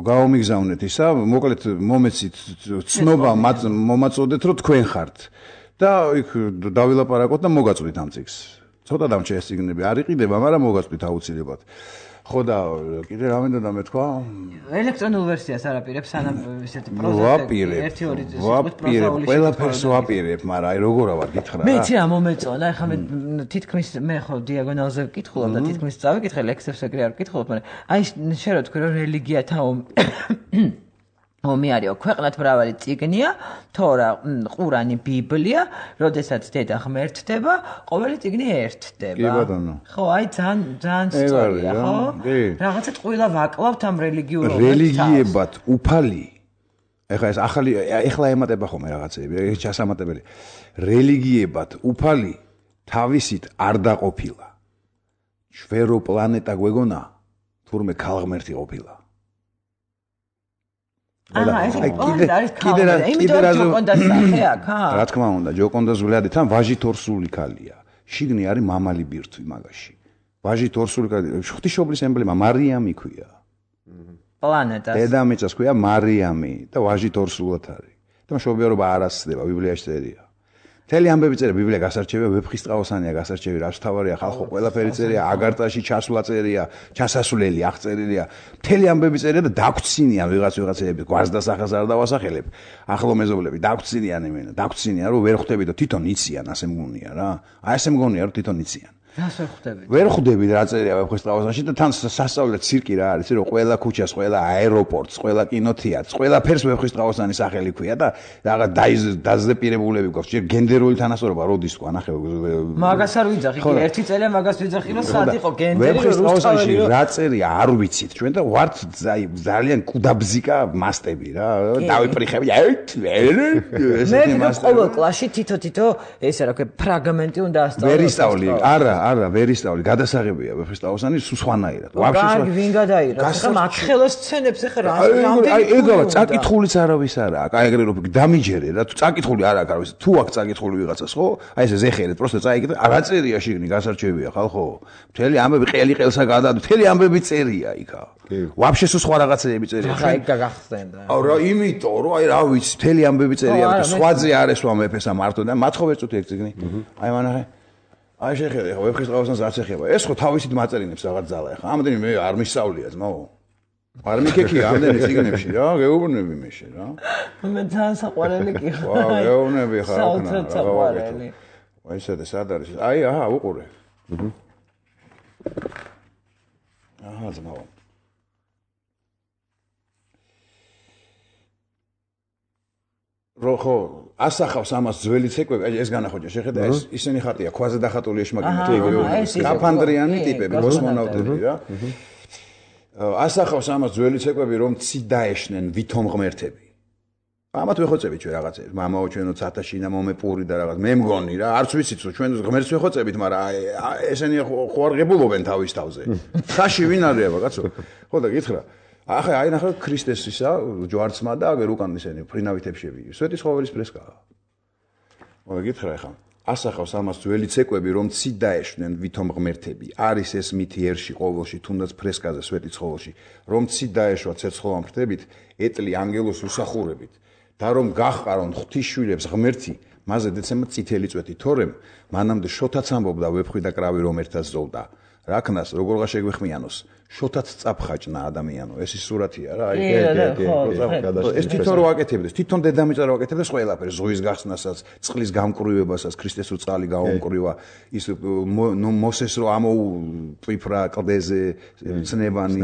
გაომიგზავნეთ ისა, მოკლედ მომეცით ცნობა მომაწოდეთ რომ თქვენ ხართ. და იქ დავილაპარაკოთ და მოგაწვით ამ წიგნს. ცოტა დამჭე ეს წიგნები არ იყიდება, მაგრამ მოგაწვით აუცილებლად. ხო და კიდე რა მინდა და მეთქვა? ელექტრონულ ვერსიას არაპირებს, სანამ ისეთი პროზა ვაპირებ. ერთი ორი წელი ვაპირებ, ყველაფერს ვაპირებ, მაგრამ აი როგორა ვარ გითხრა რა. მე იცი რა მომეწონა, ეხლა მე თითქმის მე ხო დიაგონალზე ვკითხულობ და თითქმის წავიკითხე ლექსებს ეგრე არ ვკითხულობ, მაგრამ აი შენ რა თქვი რომ რელიგიათა ომი არისო, ქვეყნად მრავალი წიგნია, თორა ყურანი, ბიბლია, როდესაც დედა ღმერთდება, ყოველი წიგნი ერთდება. კი ბატონო. ხო, აი ძალიან ძალიან სწორია, ხო? რაღაცა ტყუილა ვაკლავთ ამ რელიგიურ ომებს. რელიგიებად უფალი. ეხლა ეს ახალი ეხლა ემატება ხოლმე რაღაცები, ეს ჩასამატებელი. რელიგიებად უფალი თავისით არ დაყოფილა. შვერო პლანეტა გვეგონა, თურმე ქალღმერთი ყოფილა. აა, ეს კიდე არის კიდე იმიტომ რომ ჯოკონდას სახე აქა? რა თქმა უნდა, ჯოკონდას ვლადი თან ვაჟით ორსული ქალია. შიგნი არის მამალი ბირთვი მაგაში. ვაჟით ორსული ქალი, ღვთისმშობლის ემბლემა მარიამი ქვია. პლანეტას. დედამიწას ქვია მარიამი და ვაჟით ორსულად არის. და მშობიარობა არ ასწდება, ბიბლიაში წერია. მთელი ამბები წერია, ბიბლია გასარჩევია, ვეფხისტყაოსანია გასარჩევი, რაც თავარია ხალხო, ყველაფერი წერია, აგარტაში ჩასვლა წერია, ჩასასვლელი აღწერილია. მთელი ამბები წერია და დაგვრცინიან ვიღაც ვიღაცები, გვარს სახას არ დავასახელებ. ახლო მეზობლები დაგვრცინიან იმენა, დაგვრცინიან, რომ ვერ ხვდები და თვითონ იციან, ასე მგონია რა. აი ასე მგონია, რომ თვითონ იციან. რას ვერ ხვდები? ვერ ხვდები რა წერია ვეფხისტყაოსანში და თან სასწაულად ცირკი რა არის, რომ ყველა ქუჩას, ყველა აეროპორტს, ყველა კინოთეატრს, ყველაფერს ვეფხისტყაოსანის სახელი ქვია და რაღაც დაზეპირებულები გვაქვს. ჯერ გენდერული თანასწორობა როდის თქვა, ნახე. მაგას არ ვიძახი, კი ერთი წელია მაგას ვიძახი, რომ სად იყო გენდერი ვეფხისტყაოსანში რა წერია არ ვიცით ჩვენ და ვართ ძალიან კუდაბზიკა მასტები რა. დავიფრიხები. მე ყოველ კლასში თითო-თითო ესე რა ქვია ფრაგმენტი უნდა ასწავლო. ვერ ისწავლი, არა არა, ვერ ისწავლი, გადასაღებია ვეფხისტყაოსანი სუსვანაირად. ვაფშე კარგი ვინ გადაიღო? ხა მათხელოს სცენებს ხა რა რამდენი აი ეგაა, წაკითხულიც არავის არა აქვს. აი ეგრე რო დამიჯერე რა, თუ წაკითხული არ აქვს არავის. თუ აქვს წაკითხული ვიღაცას, ხო? აი ესე ზეხერეთ, პროსტა წაიგეთ, რა წერია შიგნი გასარჩევია ხალხო. მთელი ამბები ყელი ყელსა გადაადო, მთელი ამბები წერია იქა. ვაფშე სულ სხვა რაღაცეები წერია. ხა იქ გაგახსენდა. აუ რა, იმიტომ რომ აი რა ვიცი, მთელი ამბები წერია, სხვაზე არ ესვა მეფესა მარტო და მათ ხო ვერ წუთი ეგ წიგნი. აი მანახე აი შეხედე ხო ვეფხისტყაოსანს არც ეხება. ეს ხო თავისით მაწერინებს რაღაც ძალა ახლა. ამდენი მე არ მისწავლია ძმაო. არ მიქექია ამდენი წიგნებში რა, გეუბნები მე შე რა. მე ძალიან საყვარელი კი ხო. ვა, გეუბნები ხარ აქ. საოცრად საყვარელი. აი ესეთი სად არის? აი აჰა, უყურე. აჰა. აჰა, ძმაო. რო ხო ასახავს ამას ძველი ცეკვები, აი ეს განახოჯა, შეხედა ეს ისინი ხატია, ქვაზე დახატული ეშმაკინები, კაფანდრიანი ტიპები, კოსმონავტები რა. ასახავს ამას ძველი ცეკვები, რომ ცი დაეშნენ ვითომ ღმერთები. ამათ ვეხოცებით ჩვენ რაღაცებს, მამაო ჩვენო ცათაშინა მომეპური და რაღაც. მე მგონი რა, არც ვიცით რომ ჩვენ ღმერთს ვეხოცებით, მაგრამ ესენი ხო არ ღებულობენ თავის თავზე. ხაში ვინ არისება, კაცო? ხო და გითხრა ახლა აი ნახე ქრისტესისა ჯვარცმა და აგერ უკან ისენი ფრინავითებში. სვეტის ხოველის ფრესკაა. მოგე გითხრა ახლა. ასახავს ამას ძველი ცეკვები, რომ ცი დაეშნენ ვითომ ღმერთები. არის ეს მითი ერში ყოველში, თუნდაც ფრესკაზე სვეტის ხოველში, რომ ცი დაეშვა ცეცხლოვან ფრთებით, ეტლი ანგელოს უსახურებით. და რომ გაჰყარონ ღვთისშვილებს ღმერთი, მასზე დეცემა წითელი წვეთი, თორემ მანამდე შოთაც ამბობდა ვეფხვი და კრავი რომ ერთად ზოლდა. რაკნას როგორღა შეგვეხმიანოს შოთაც წაფხაჭნა ადამიანო ეს ის სურათია რა აი ეს თვითონ რო აკეთებდეს თვითონ დედამიწა რო აკეთებდეს ყველაფერს ზღვის გახსნასაც წყლის გამკრივებასაც ქრისტეს რო წყალი გაუმკრივა ის მოსეს რო ამოუპიფრა კლდეზე ცნებანი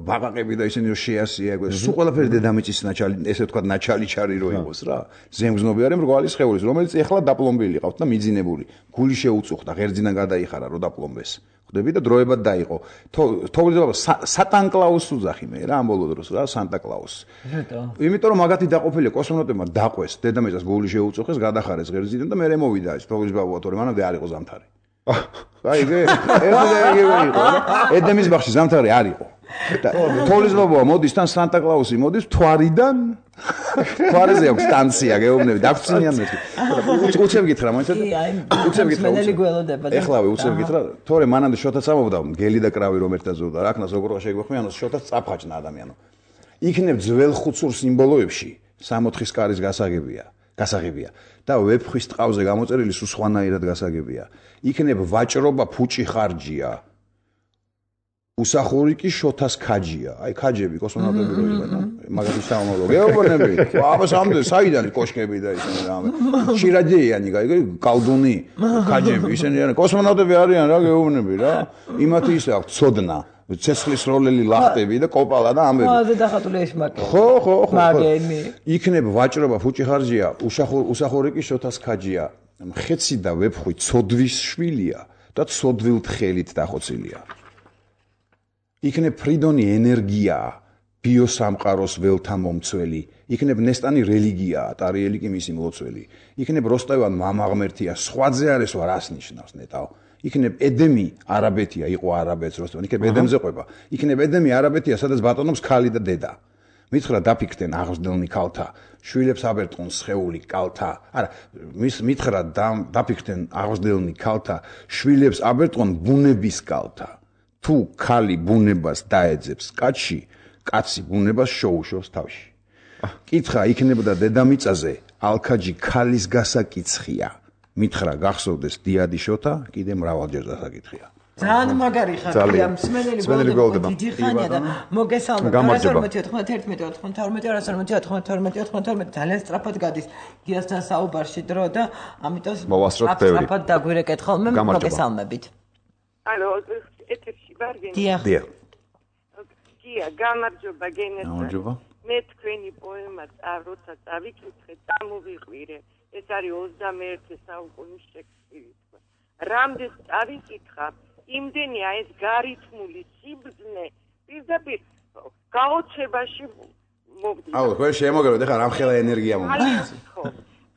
ბაყაყები და ისინი რო შეასია სულ ყველაფერი დედამიწის ნაჩალი ესე ვთქვათ ნაჩალი ჩარი რო იყოს რა ზემგზნობი არის მრგვალი სხეულის რომელიც ეხლა დაპლომბილი ყავთ და მიძინებული გული შეუწუხდა ღერძიდან გადაიხარა რო დაპლომბეს ხდები და დროებად დაიყო. თოვლიზება სატან კლაუსს უძახი მე რა ამ ბოლო დროს რა სანტა კლაუსს. იმიტომ რომ მაგათი დაყოფილია კოსმონავტებმა დაყვეს დედამიწას გული შეუწუხეს გადახარეს ღერძიდან და მე მოვიდა ეს თოვლიზება თორემ მანამდე არ იყო ზამთარი. აი ეგ ეგ იყო ედემის ბაღში ზამთარი არ იყო. თოვლიზება მოდის თან სანტა კლაუსი მოდის თვარიდან თვარეზე აქვს სტანცია გეუბნები დაგწინიან მე. უცებ გითხრა მოიცადე? უცებ გითხრა. ეხლავე უცებ გითხრა. თორე მანამდე შოთაც ამობდა გელი და კრავი რომ ერთად ზოვდა. რაკნას როგორღა შეგვეხმიანოს შოთაც წაფხაჭნა ადამიანო. იქნებ ძველ ხუცურ სიმბოლოებში სამოთხის კარის გასაგებია. გასაღებია და ვეფხვის ტყავზე გამოწერილი სულ სხვანაირად გასაგებია. იქნებ ვაჭრობა ფუჭი ხარჯია. უსახური კი შოთას ქაჯია. აი ქაჯები კოსმონავტები რო იყვნენ, მაგათი სამომავლო. გეუბნები, აბა სამდე საიდან კოშკები და ისინი რა. შირაჯეიანი, გაიგე, კალდუნი, ქაჯები, ისინი არიან კოსმონავტები არიან რა, გეუბნები რა. იმათი ისე აქვს ცოდნა, ცეცხლის როლელი ლახტები და კოპალა და ამბები. ხოაზე დახატული ეშმაკი. ხო, ხო, ხო. მაგენი. იქნებ ვაჭრობა ფუჭი ხარჯია, უსახური კი შოთას ქაჯია. მხეცი და ვეფხვი ცოდვის შვილია და ცოდვილ თხელით დახოცილია. იქნებ ფრიდონი ენერგიაა, ბიოსამყაროს ველთა მომცველი, იქნებ ნესტანი რელიგიაა, ტარიელი კი მისი მლოცველი. იქნებ როსტევან მამაღმერთია, სხვაძე არის რა რას ნიშნავს ნეტავ. იქნებ ედემი არაბეთია, იყო არაბეთს როსტევან, იქნებ ედემზე ყვება. იქნებ ედემი არაბეთია, სადაც ბატონობს ქალი და დედა. მითხრა დაფიქრდნენ აღზრდელნი ქალთა, შვილებს აბერტყონ სხეული კალთა. არა, მის მითხრა დაფიქრდნენ აღზრდელნი ქალთა, შვილებს აბერტყონ ბუნების კალთა. თუ ქალი ბუნებას დაეძებს კაცში, კაცი ბუნებას შოუშოს თავში. კითხა იქნებოდა დედამიწაზე, ალქაჯი ქალის გასაკიცხია. მითხრა გახსოვდეს დიადი შოთა, კიდე მრავალჯერ დასაკითხია. ძალიან მაგარი ხარია, მსმენელი გოლდება. დიდი ხანია და მოგესალმებით. ორმოცი ოთხმოცდაათი, ორმოცი ოთხმოცდაათი, ორმოცი ძალიან სწრაფად გადის გიასთან საუბარში დრო და ამიტომ სწრაფად დაგვირეკეთ ხოლმე მოგესალმებით. ალო, ეთერში ვარ გენე. დიახ. დიახ. გია, გამარჯობა გენესა. გამარჯობა. მე თქვენი პოემა როცა წავიკითხე, წამოვიყვირე. ეს არის ოცდამეერთე საუკუნის შექსპირი. რამდენს წავიკითხა, იმდენია ეს გარითმული სიბრძნე, პირდაპირ გაოცებაში მოვდი. აუ, ხო შემოგეროთ, ეხლა რამხელა ენერგია მომდის. ხო.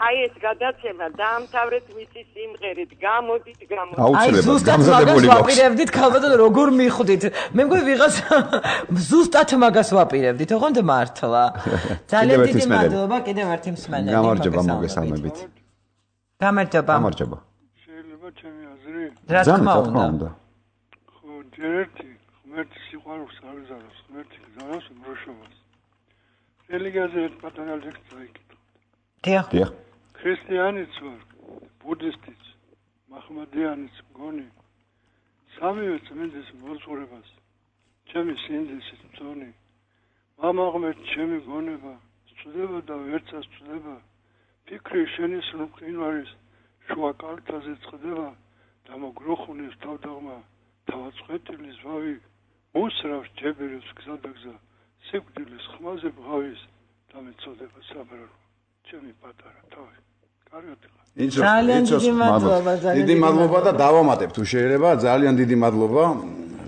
აი ეს გადაცემა დაამთავრეთ მისი სიმღერით, გამოდით, გამოდით. აი ზუსტად მაგას ვაპირებდით, ქალბატონო, როგორ მიხვდით? მე მგონი ვიღაც ზუსტად მაგას ვაპირებდით, ოღონდ მართლა. ძალიან დიდი მადლობა კიდევ ერთი მსმენელი. გამარჯობა, მოგესალმებით. გამარჯობა. გამარჯობა. შეიძლება ჩემი აზრი? რა თქმა უნდა. ხო, ჯერ ერთი ღმერთი სიყვარულს არ იზაროს, ღმერთი გზავნოს მრუშობას. რელიგიაზე ერთ პატარა ლექცია იკითხე. დიახ. დიახ. ქრისტიანიც ვარ, ბუდისტიც, მაჰმადიანიც მგონი. სამივე წმინდის მოძღვრებას, ჩემი სინდისის მწონი. მამა ღმერთი ჩემი გონება, სწდება და ვერცას სწდება. ფიქრი შენი სრულყინვარის შუა კალთაზე წყდება და მოგროხულის თავდაღმა, თავაწყვეტილის ვავი, მოსრავს ჯებირებს გზადაგზა, სიკვდილის ხმაზე ბღავის და მეწოდება საბრალო. ჩემი პატარა თავი. კარგად ხარ. ძალიან დიდი მადლობა, ძალიან დიდი მადლობა და დავამატებ თუ შეიძლება, ძალიან დიდი მადლობა.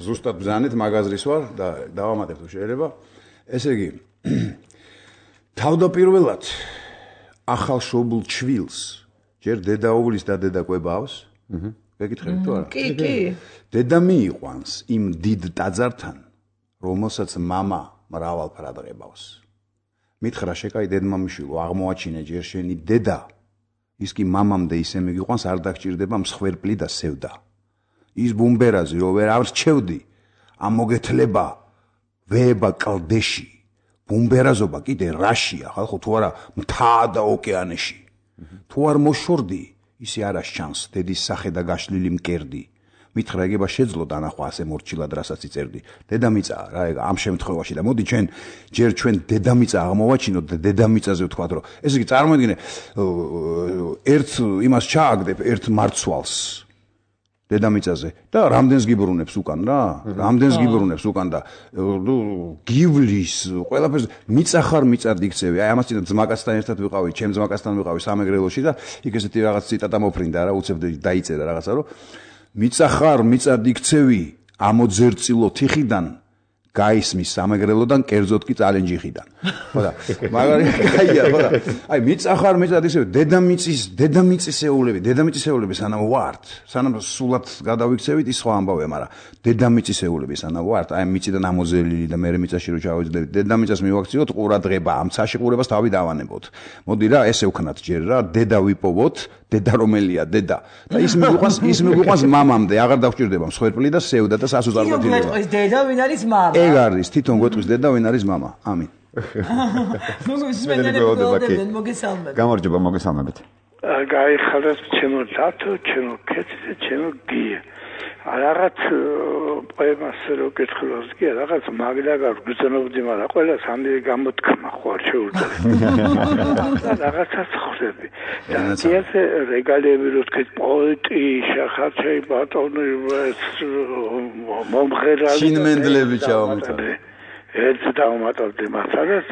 ზუსტად ბრძანეთ მაგაზრის ვარ და დავამატებ თუ შეიძლება. ესე იგი თავდაპირველად ახალშობილ ჩვილს ჯერ დედაუვლის და დედა კვებავს. აჰა. გეკითხებით თუ არა? კი, კი. დედა მიიყვანს იმ დიდ ტაძართან, რომელსაც მამა მრავალ ფრად ღებავს. მითხრა შეკაი დედმამიშვილო, აღმოაჩინე ჯერ შენი დედა. ის კი მამამდე ისე მიგიყვანს, არ დაგჭირდება მსხვერპლი და სევდა. ის ბუმბერაზი რო ვერ არჩევდი, ამ მოგეთლება ვეება კლდეში. ბუმბერაზობა კიდე რაშია, ხალხო თუ არა მთა და ოკეანეში. თუ არ მოშორდი, ისე არ ასჩანს დედის სახე და გაშლილი მკერდი. მითხრა ეგება შეძლო დანახვა ასე მორჩილად რასაც იწერდი. დედამიწა რა ეგ ამ შემთხვევაში და მოდი ჩვენ ჯერ ჩვენ დედამიწა აღმოვაჩინოთ და დედამიწაზე ვთქვათ რომ ესე იგი წარმოიდგინე ერთ იმას ჩააგდებ ერთ მარცვალს დედამიწაზე და რამდენს გიბრუნებს უკან რა რამდენს გიბრუნებს უკან და გივლის ყველაფერს მიწა ხარ მიწად იქცევი აი ამას წინა ძმაკაცთან ერთად ვიყავი ჩემ ძმაკაცთან ვიყავი სამეგრელოში და იქ ესეთი რაღაც ციტატა მოფრინდა რა უცებ დაიწერა რაღაცა რომ მიწა ხარ მიწად იქცევი ამოძერწილო თიხიდან გაისმის სამეგრელოდან კერძოდ კი წალენჯიხიდან ხო და მაგარი კაია ხო და აი მიწა ხარ მიწად იქცევი დედამიწის დედამიწისეულები დედამიწისეულები სანამ ვართ სანამ სულად გადავიქცევით ის სხვა ამბავია მაგრამ დედამიწისეულები სანამ ვართ აი მიწიდან ამოზელილი და მე მიწაში რო ჩავეძდებით დედამიწას მივაქციოთ ყურადღება ამ ცაში ყურებას თავი დავანებოთ მოდი რა ესე ვქნათ ჯერ რა დედა ვიპოვოთ დედა რომელია დედა და ის მიყვანს ის მიყვანს მამამდე აღარ დავჭირდება მსხვერპლი და სევდა და სასუზარმოთილება თვითონ გვეტყვის დედა ვინ არის მამა ეგ არის თვითონ გვეტყვის დედა ვინ არის მამა ამინ მოგესალმებით გამარჯობა მოგესალმებით გაიხარეს ჩემო დათო ჩემო კეთილი ჩემო გია რაღაც პოემას რო კითხულობს კი რაღაც მაგდაგარ გძნობდი მაგრამ ყველა სამი გამოთქმა ხوار შეუძლია რაღაცას ხვდები და ეს რეგალები რო თქვით პოეტი შახაჩი ბატონი მომღერალი შინმენდლები ჩავამოწარ ეს დავამატავდი მასალას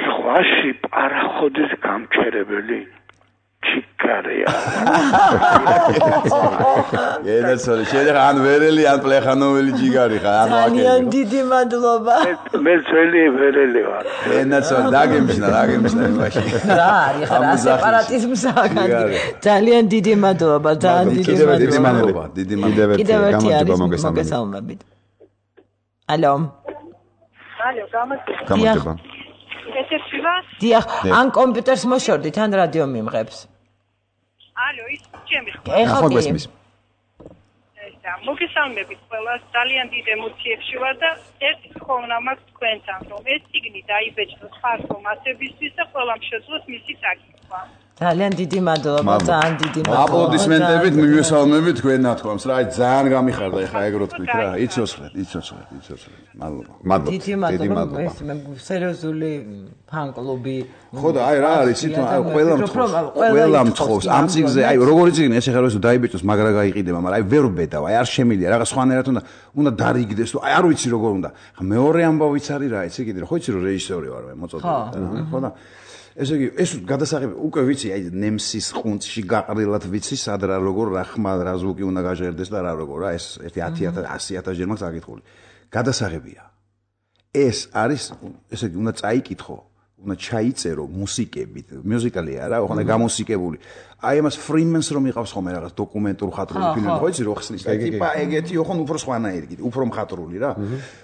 ხვაში პარახოდის გამჩერებელი ჩიკარია. ენაცოლი, შეიძლება ან ვერელი, ან პლეხანოველი ჯიგარი ხარ, ანუ აკეთე. ძალიან დიდი მადლობა. მე ძველი ვერელი ვარ. ენაცოლი, დაგემშნა, დაგემშნა იმაში. რა არის ხარ, სეპარატიზმს აკეთე. ძალიან დიდი მადლობა, ძალიან დიდი მადლობა. დიდი მადლობა. კიდევ ერთი არის მოგესალმებით. ალო. ალო, გამარჯობა. ეთერშია? დიახ, ან კომპიუტერს მოშორდით, ან რადიო მიმღებს. ალო, ის ჩემი ხო? ეხლა გესმის. ესა, მოგესალმებით ყველას, ძალიან დიდ ემოციებში ვარ და ერთი თხოვნა მაქვს თქვენთან, რომ ეს ციგნი დაიბეჭდოს ხალხო მასებისთვის და ყველამ შეძლოს მისი საკითხვა. ძალიან დიდი მადლობა, ძალიან დიდი მადლობა. აპლოდისმენტებით მივესალმებით თქვენ ნათქვამს რა, ძალიან გამიხარდა ეხა ეგ რო თქვით რა, იცოცხლეთ, იცოცხლეთ, იცოცხლეთ. მადლობა. მადლობა. დიდი მადლობა. ეს მე სერიოზული ფან-კლუბი. ხო და აი რა არის თვითონ აი ყველა მთხოვს, ყველა მთხოვს ამ ციგზე, აი როგორი ციგნი ეს ეხა რო დაიბეჭოს, მაგრა გაიყიდება, მაგრამ აი ვერ ვბედავ, აი არ შემილია, რაღაც სხვანაირად უნდა უნდა დარიგდეს, თუ აი არ ვიცი როგორ უნდა. ხა მეორე ამბავიც არის რა, იცი კიდე, ხო იცი რომ რეჟისორი ვარ მე, მოწოდებული, ხო და ესე იგი ეს გადასაღები უკვე ვიცი აი ნემსის ყუნწში გაყრილად ვიცი სად რა როგორ რა ხმა რა ზუკი უნდა გაჟღერდეს და რა როგორ რა ეს ერთი ათი ათას ასი ათას ჯერ მაქვს აკითხული გადასაღებია ეს არის ესე იგი უნდა წაიკითხო უნდა ჩაიწერო მუსიკებით მუსიკალია რა ხომ გამუსიკებული აი ამას ფრიმენს რომ იყავს ხომ რაღაც დოკუმენტურ ხატრული ფილმი ხო იცი რო ხსნის და ტიპა ეგეთი ხომ უფრო სხვანაირი კიდე უფრო მხატვრული რა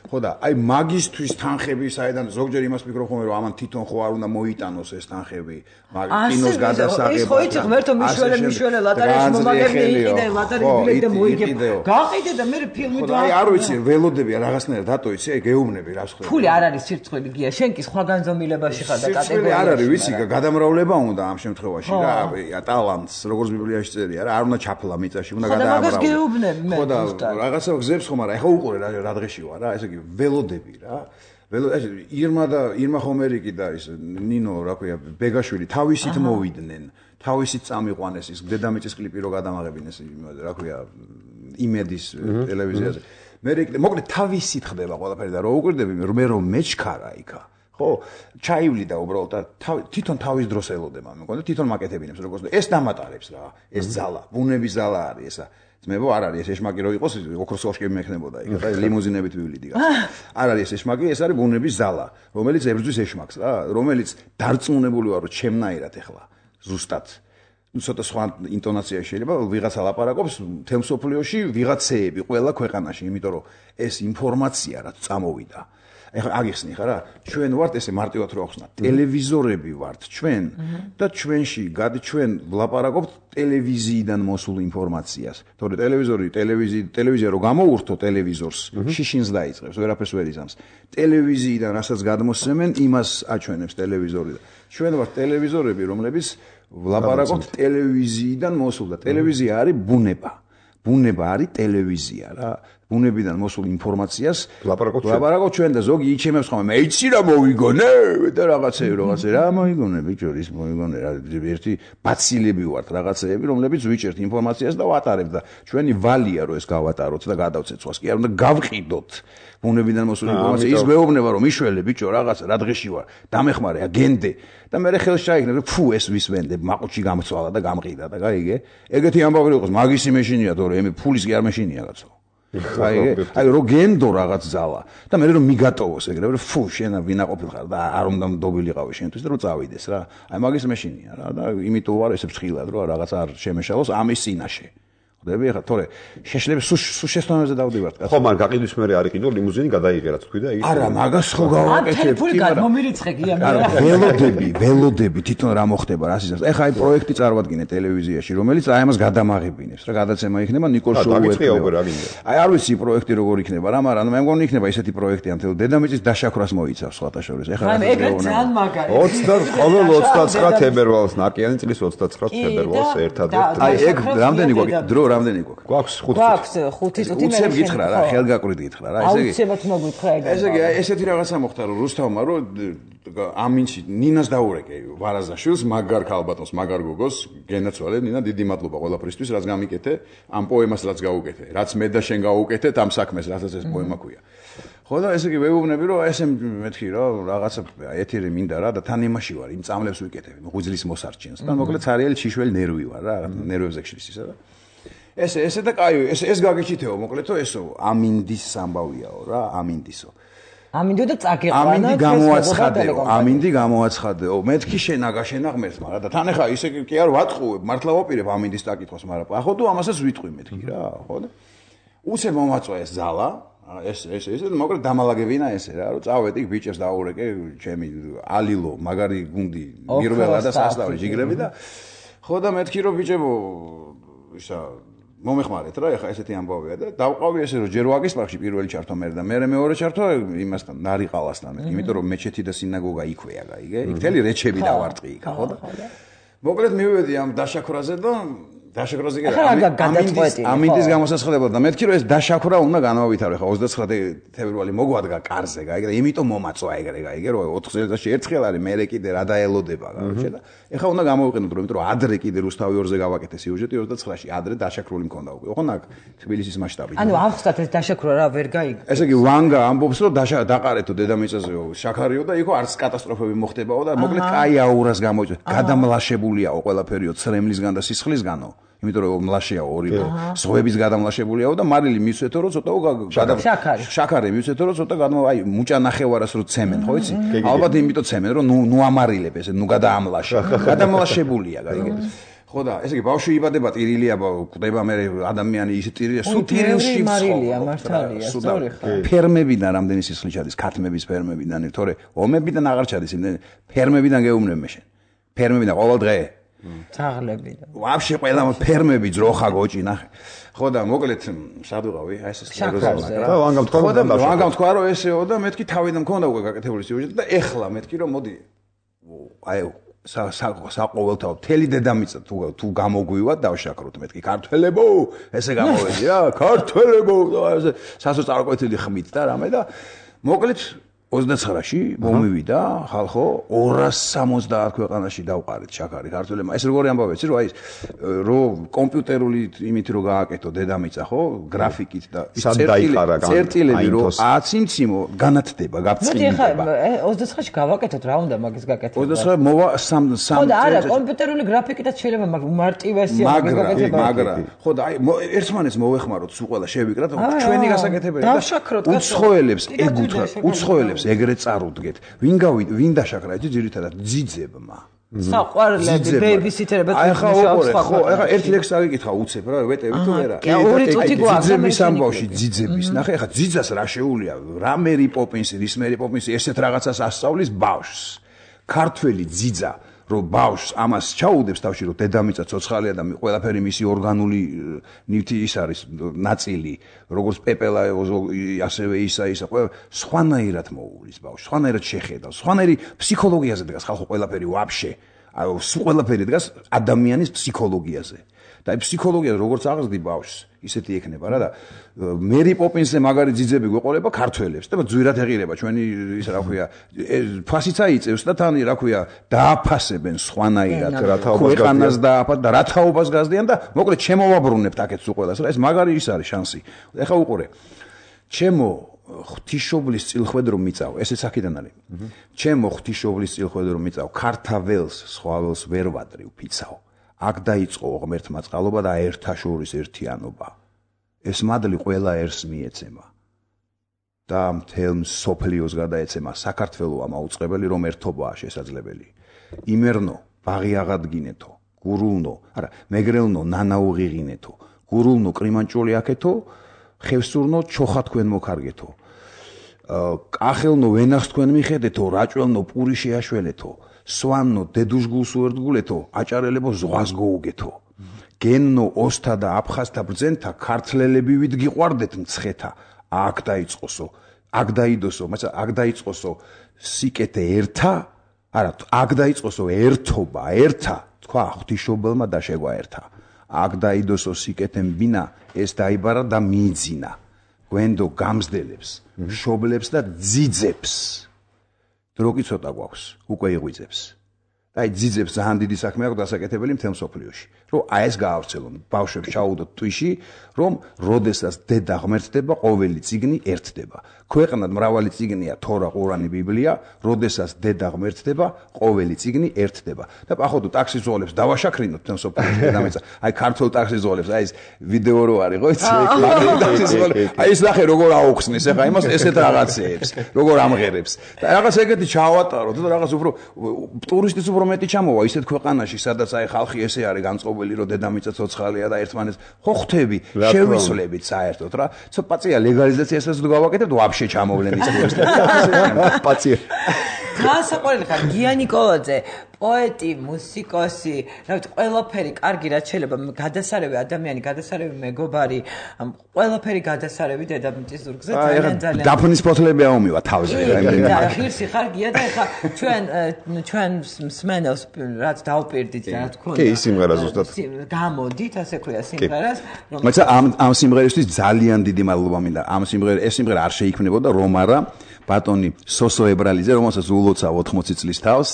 ხო და აი მაგისტვის თანხები საიდან ზოგჯერ იმას ფიქრობ ხომ რომ ამან თვითონ ხო არ უნდა მოიტანოს ეს თანხები მაგ კინოს გადასაღება ის ხო იცი ღმერთო მიშველე მიშველე ლატარიაში მომაგები იყიდე ლატარი ბილეთი და მოიგებ გაყიდე და მე ფილმი და აი არ ვიცი ველოდები რაღაცნაირად დატო იცი აი გეუბნები რა სხვა ფული არ არის სირცხვილი გია შენ კი სხვა განზომილებაში ხარ და კატეგორიაში არ არის ვიცი გადამრავლება უნდა ამ შემთხვევაში რა ტალანტს როგორც ბიბლიაში წერია რა არ უნდა ჩაფლა მიწაში უნდა გადაამრავლო ხო და რაღაცა გზებს ხომ არა ეხა უყურე რა რა დღეში ვარ რა ესე იგი ველოდები რა ველო ეს ირმა და ირმა ხომერიკი და ის ნინო რა ქვია ბეგაშვილი თავისით მოვიდნენ თავისით წამიყვანეს ის დედამიწის კლიპი რო გადამაღებინეს იმაზე რა ქვია იმედის ტელევიზიაზე მე მოკლედ თავისით ხდება ყველაფერი და რო უყურდები მე რომ მეჩქარა იქა ხო, ჩაივლიდა უბრალოდ და თვითონ თავის დროს ელოდება, მეკონა თვითონ მაკეთებინებს როგორც ეს დამატარებს რა, ეს ძალა, ბუნების ზალა არის ესა. ძმებო, არ არის ეს ეშმაკი რო იყოს, ოქროს ოშკები მექნებოდა იქ, და ლიმუზინებით ვივლიდი გასა. არ არის ეს ეშმაკი, ეს არის ბუნების ზალა, რომელიც ებრძვის ეშმაკს რა, რომელიც დარწმუნებული ვარ, რომ ჩემნაირად ეხლა ზუსტად ну ცოტა სხვა ინტონაცია შეიძლება ვიღაცა ლაპარაკობს მთელ მსოფლიოში ვიღაცეები ყველა ქვეყანაში, იმიტომ რომ ეს ინფორმაცია რაც წამოვიდა. ეხლა აგიხსნი ხა რა, ჩვენ ვართ ესე მარტივად რო ახსნა, ტელევიზორები ვართ ჩვენ და ჩვენში გადი ჩვენ ვლაპარაკობთ ტელევიზიიდან მოსულ ინფორმაციას. თორე ტელევიზორი, ტელევიზი, ტელევიზია რო გამოურთო ტელევიზორს, შიშინს დაიწყებს, ვერაფერს ვერ იზამს. ტელევიზიიდან რასაც გადმოსცემენ, იმას აჩვენებს ტელევიზორი. ჩვენ ვართ ტელევიზორები, რომლებიც ვლაპარაკობთ ტელევიზიიდან მოსულ და ტელევიზია არის ბუნება. ბუნება არის ტელევიზია რა. ბუნებიდან მოსულ ინფორმაციას ვლაპარაკობთ ჩვენ და ზოგი იჩემებს ხოლმე მე იცი რა მოვიგონე და რაღაცეები რაღაცე რა მოიგონე ბიჭო ის მოიგონე რა ერთი ბაცილები ვართ რაღაცეები რომლებიც ვიჭერთ ინფორმაციას და ვატარებთ და ჩვენი ვალია რომ ეს გავატაროთ და გადავცეცვას კი არ უნდა გავყიდოთ ბუნებიდან მოსულ ინფორმაციას ის გვეუბნება რომ მიშველე ბიჭო რაღაცა რა დღეში ვარ დამეხმარე აგენდე და მე ხელს ჩაიქნებ რომ ფუ ეს ვისვენდე მაყუჩი გამწვალა და გამყიდა და გაიგე ეგეთი ამბავი იყოს მაგისი მეშინია თორე ემი ფულის კი არ მეშინია კაცო აი აი რო გენდო რაღაც ზალა და მე რომ მიგატოვოს ეგრე რომ ფუ შენა ვინაყოფილ ხარ და არ უნდა მდობილიყავი შენთვის და რომ წავიდეს რა აი მაგის მეშინია რა და იმიტომ ვარ ესე ფრთხილად რომ რაღაც არ შემეშალოს ამის წინაშე ხდები ხა თორე შეშლები სულ შეესწავლაზე დავდივართ კაცო ხო მაგრამ გაყიდვის მე არ იყიდო ლიმუზინი გადაიღე რაც თქვი და იგი არა მაგას ხო გავაკეთებ ტელეფონი გამომირიცხე გია მე ველოდები ველოდები თვითონ რა მოხდება რა სიზავს ეხა აი პროექტი წარვადგინე ტელევიზიაში რომელიც აი ამას გადამაღებინებს რა გადაცემა იქნება ნიკოლ შოუერტ აი არ ვიცი პროექტი როგორ იქნება რა მაგრამ მე მგონი იქნება ისეთი პროექტი ამ თელ დედამიწის დაშაქვრას მოიცავს სხვათა შორის ეხა რა ეგრე ძალიან მაგარი ოცდაოთხ ყოველ ოცდაცხრა თებერვალს ნაკიანი წლის ოცდაცხრა თებერვალს ერთადერთ აი ეგ რამდენი გვაქვს დრო რამდენი გვაქვს? გვაქვს ხუთი. გვაქვს ხუთი წუთი მე. უცებ გითხრა რა, ხელგაკვრით გითხრა რა, ესე იგი. აუცილებლად უნდა გითხრა ეგ. ესე იგი, ესეთი რაღაცა მოხდა რომ რუსთავმა რომ ამინში ნინას დაურეკე ვარაზაშვილს, მაგარ ქალბატონს, მაგარ გოგოს, გენაცვალე ნინა, დიდი მადლობა ყველაფრისთვის, რაც გამიკეთე, ამ პოემას რაც გაუკეთე, რაც მე და შენ გაუკეთეთ ამ საქმეს, რასაც ეს პოემა ქვია. ხო და ესე იგი ვეუბნები რომ ესე მეთქი რომ რაღაცა ეთერი მინდა რა და თან იმაში ვარ, იმ წამლებს ვიკეთებ, ღვიძლის მოსარჩენს. და მოკლედ ცარიელი ჩიშველი ნერვი ვარ რა, ნერვებზე ხშლის ისა და ესე ესე და კაი ეს ეს გაგიჩითეო მოკლედ თუ ესო ამინდის ამბავიაო რა ამინდისო ამინდო და წაგეყანა ამინდი გამოაცხადეო ამინდი გამოაცხადეო მეთქი შენა გაშენა ღმერთს მაგრამ და თან ახლა ისე კი არ ვატყუებ მართლა ვაპირებ ამინდის წაკითხოს მაგრამ ახო თუ ამასაც ვიტყვი მეთქი რა ხო და უცებ მომაწვა ეს ზალა ეს ეს ეს მოკლედ დამალაგებინა ესე რა რომ წავედი ბიჭებს დაურეკე ჩემი ალილო მაგარი გუნდი მირველა და სასწავლი ჯიგრები და ხო და მეთქი რომ ბიჭებო ისა მომეხმარეთ რა ეხა ესეთი ამბავია და დავყავი ესე რომ ჯერ ვაგის პარკში პირველი ჩართვა მე და მე მეორე ჩართვა იმასთან ნარიყალასთან იმიტომ რომ მეჩეთი და სინაგოგა იქვეა გაიგე იქ თელი რეჩები დავარტყი იქ ხო და მოკლედ მივედი ამ დაშაქრაზე და დაშაქრაზე კი ამინდის ამინდის გამოსასხადებად და მეთქი რომ ეს დაშაქრა უნდა განავითარო ეხა ოცდაცხრა თებერვალი მოგვადგა კარზე გაიგე და იმიტომ მომაწვა ეგრე გაიგე რომ ოთხ წელიწადში ერთხელ არის მე კიდე რა დაელოდება გაიგე და ეხა უნდა გამოვიყენოთ რომ იმიტომ რომ ადრე კიდე რუსთავი ორზე გავაკეთე სიუჟეტი ოცდაცხრაში ადრე დაშაქრული მქონდა უკვე ხო ნაკ თბილისის მასშტაბით ანუ აღსტათ ეს დაშაქრა რა ვერ გაიგე ესე იგი ვანგა ამბობს რომ დაყარეთო დედამიწაზეო შაქარიო და იქო არც კატასტროფები მოხდებაო და მოკლედ კაი აურას გამოიწვია გადამლაშებულიაო ყველაფერიო ცრემლისგან და სისხლისგანო იმიტომ რომ მლაშეა ორი ზღვების გადამლაშებულიაო და მარილი მისვეთო რომ ცოტა გადამ შაქარი შაქარი მისვეთო რომ ცოტა გადამ აი მუჭა ნახევარას რო ცემენ ხო იცი ალბათ იმიტომ ცემენ რომ ნუ ნუ ამარილებ ესე ნუ გადაამლაშე გადამლაშებულია გაიგე ხო და ესე იგი ბავშვი იბადება ტირილია კვდება მე ადამიანი ისე ტირილია სულ ტირილში მარილია მართალია სწორი ხარ ფერმებიდან რამდენი სისხლი ჩადის ქათმების ფერმებიდან თორე ომებიდან აღარ ჩადის იმდენ ფერმებიდან გეუბნებ მე შენ ფერმებიდან ყოველ დღე ძაღლებიდან. ვაფშე ყველა ფერმები ძროხა გოჭი ნახე. ხო და მოკლედ სად ვიყავი? აი ეს შაქარზე რა. და ვანგამ თქვა და ვანგამ თქვა რომ ესეო და მეთქი თავიდან მქონდა უკვე გაკეთებული სიუჟეტი და ეხლა მეთქი რომ მოდი აი საყოველთაო თელი დედამიწა თუ თუ გამოგვივათ დავშაქროთ მეთქი ქართველებო ესე გამოვედი რა ქართველებო და ესე სასოწარკვეთილი ხმით და რამე და მოკლედ ოცდაცხრაში მომივიდა ხალხო ორას სამოცდაათ ქვეყანაში დავყარეთ შაქარი ქართველებმა. ეს როგორი ამბავია, იცი, რომ აი რომ კომპიუტერული იმით რომ გააკეთო დედამიწა, ხო, გრაფიკით და წერტილები რომ აციმციმო განათდება, გაფწინდება. მოდი ხა ოცდაცხრაში გავაკეთოთ, რა უნდა მაგის გაკეთება? ოცდაცხრა მოვა სამ სამ ხო და არა, კომპიუტერული გრაფიკითაც შეიძლება მაგ უმარტივესია მაგის გაკეთება. მაგრამ ხო და აი ერთმანეთს მოვეხმაროთ სულ ყველა შევიკრათ ჩვენი გასაკეთებელი და უცხოელებს ეგუთვათ, უცხოელებს ეგრეთ წარუდგეთ. ვინ გავი ვინ დაშაქრა იცი ძირითადად ძიძებმა. საყვარლები, ბეიბისიტერები აი ხა ოყურე, ხო, ეხა ერთი ლექსი აგიკითხა უცებ რა, ვეტევი თუ არა. ორი წუთი გვაქვს ძიძების ამბავში, ძიძების. ნახე ხა ძიძას რა შეუულია, რა მერი პოპინსი, რის მერი პოპინსი ესეთ რაღაცას ასწავლის ბავშვს. ქართველი ძიძა რომ ბავშვს ამას ჩაუდებს თავში რომ დედამიწა ცოცხალია და ყველაფერი მისი ორგანული ნივთი ის არის ნაწილი როგორც პეპელა ასევე ისა ისა ყველა სხვანაირად მოუვლის ბავშვს სხვანაირად შეხედავს სხვანაირი ფსიქოლოგიაზე დგას ხალხო ყველაფერი ვაფშე აი ყველაფერი დგას ადამიანის ფსიქოლოგიაზე და აი ფსიქოლოგია როგორც აღზრდი ბავშვს ისეთი ექნება რა და მერი პოპინსზე მაგარი ძიძები გვეყოლება ქართველებს და ძვირად ეღირება ჩვენი ის რა ქვია ფასიც აიწევს და თან რა ქვია დააფასებენ სხვანაირად ქვეყანას დააფას და რა თაობას გაზდიან და მოკლედ შემოვაბრუნებთ აქეთ სულ ყველას რა ეს მაგარი ის არის შანსი ეხა უყურე ჩემო ღვთისმშობლის წილხვედრო მიწავ ესეც აქედან არის ჩემო ღვთისმშობლის წილხვედრო მიწავ ქართაველს სხვაველს ვერ ვადრი ვფიცავ აქ დაიწყო ღმერთმა წყალობა და ერთა შორის ერთიანობა. ეს მადლი ყველა ერს მიეცემა. და მთელ სოფლიოს გადაეცემა საქართველოა მაუწყებელი რომ ერთობაა შესაძლებელი. იმერნო ბაღი აღადგინეთო, გურულნო, არა, მეგრელნო ნანაუღიღინეთო, გურულნო კრიმანჭული აქეთო, ხევსურნო ჩოხა თქვენ მოკარგეთო. კახელნო ვენახს თქვენ მიხედეთო, რაჭველნო პური შეაშველეთო. სვანო დედუშგულს უერთგულეთო აჭარელებო ზღვას გოუგეთო გენნო ოსთა და აფხაზთა ბრძენთა ქართლელები ვით გიყვარდეთ მცხეთა აქ დაიწყოსო აქ დაიდოსო მაგრამ აქ დაიწყოსო სიკეთე ერთა არა აქ დაიწყოსო ერთობა ერთა თქვა ღვთისმშობელმა და შეგვა ერთა აქ დაიდოსო სიკეთემ ბინა ეს დაიბარა და მიიძინა გვენდო გამსდელებს მშობლებს და ძიძებს დროგი ცოტა გვაქვს, უკვე იღვიძებს. და აი ძიძებს ძალიან დიდი საქმე აქვს დასაკეთებელი მთელ მსოფლიოში. რომ აი ეს გაავრცელონ, ბავშვებს ჩაუდოთ თვიში, რომ როდესაც დედა ღმერთდება, ყოველი წიგნი ერთდება. ქვეყნად მრავალი წიგნია თორა, ყურანი, ბიბლია, როდესაც დედა ღმერთდება, ყოველი წიგნი ერთდება. და ახოდო ტაქსიზოლებს დავაშაქრინოთ მთელ მსოფლიოში დედამიწა. აი ქართულ ტაქსიზოლებს, აი ეს ვიდეო რო არის, ხო იცი? ტაქსიზოლები. აი ეს ნახე როგორ აუხსნის, ეხა იმას ესეთ რაღაცეებს, როგორ ამღერებს. და რაღაც ეგეთი ჩაავატაროთ და რაღაც უფრო ტურისტის უფრო მეტი ჩამოვა ისეთ ქვეყანაში, სადაც აი ხალხი ესე არის განწყობილი, რომ დედამიწა ცოცხალია და ერთმანეთს ხო ხვდები, შევისვლებით საერთოდ რა. ცოტა პაცია ლეგალიზაციასაც თუ გავაკეთებთ, ვაფშე ჩამოვლენ ის ტურისტები. პაცია. გასაყვარელი ხარ გია ნიკოლაძე, პოეტი, მუსიკოსი, რა ვიცი, ყველაფერი კარგი რაც შეიძლება გადასარევი ადამიანი, გადასარევი მეგობარი, ყველაფერი გადასარევი დედამიწის ზურგზე ძალიან ძალიან. დაფნის ფოთლები აუმივა თავზე რა იმენა. და ღირსი ხარ გია და ეხა ჩვენ ჩვენ მსმენელს რაც დავპირდით რა თქმა უნდა. კი, სიმღერა ზუსტად. გამოდით, ასე ქვია სიმღერას, რომ მაგრამ ამ ამ სიმღერისთვის ძალიან დიდი მადლობა მინდა. ამ სიმღერა ეს სიმღერა არ შეიქმნებოდა რომ არა ბატონი სოსო ებრალიძე, რომელსაც ულოცავ ოთხმოცი წლის თავს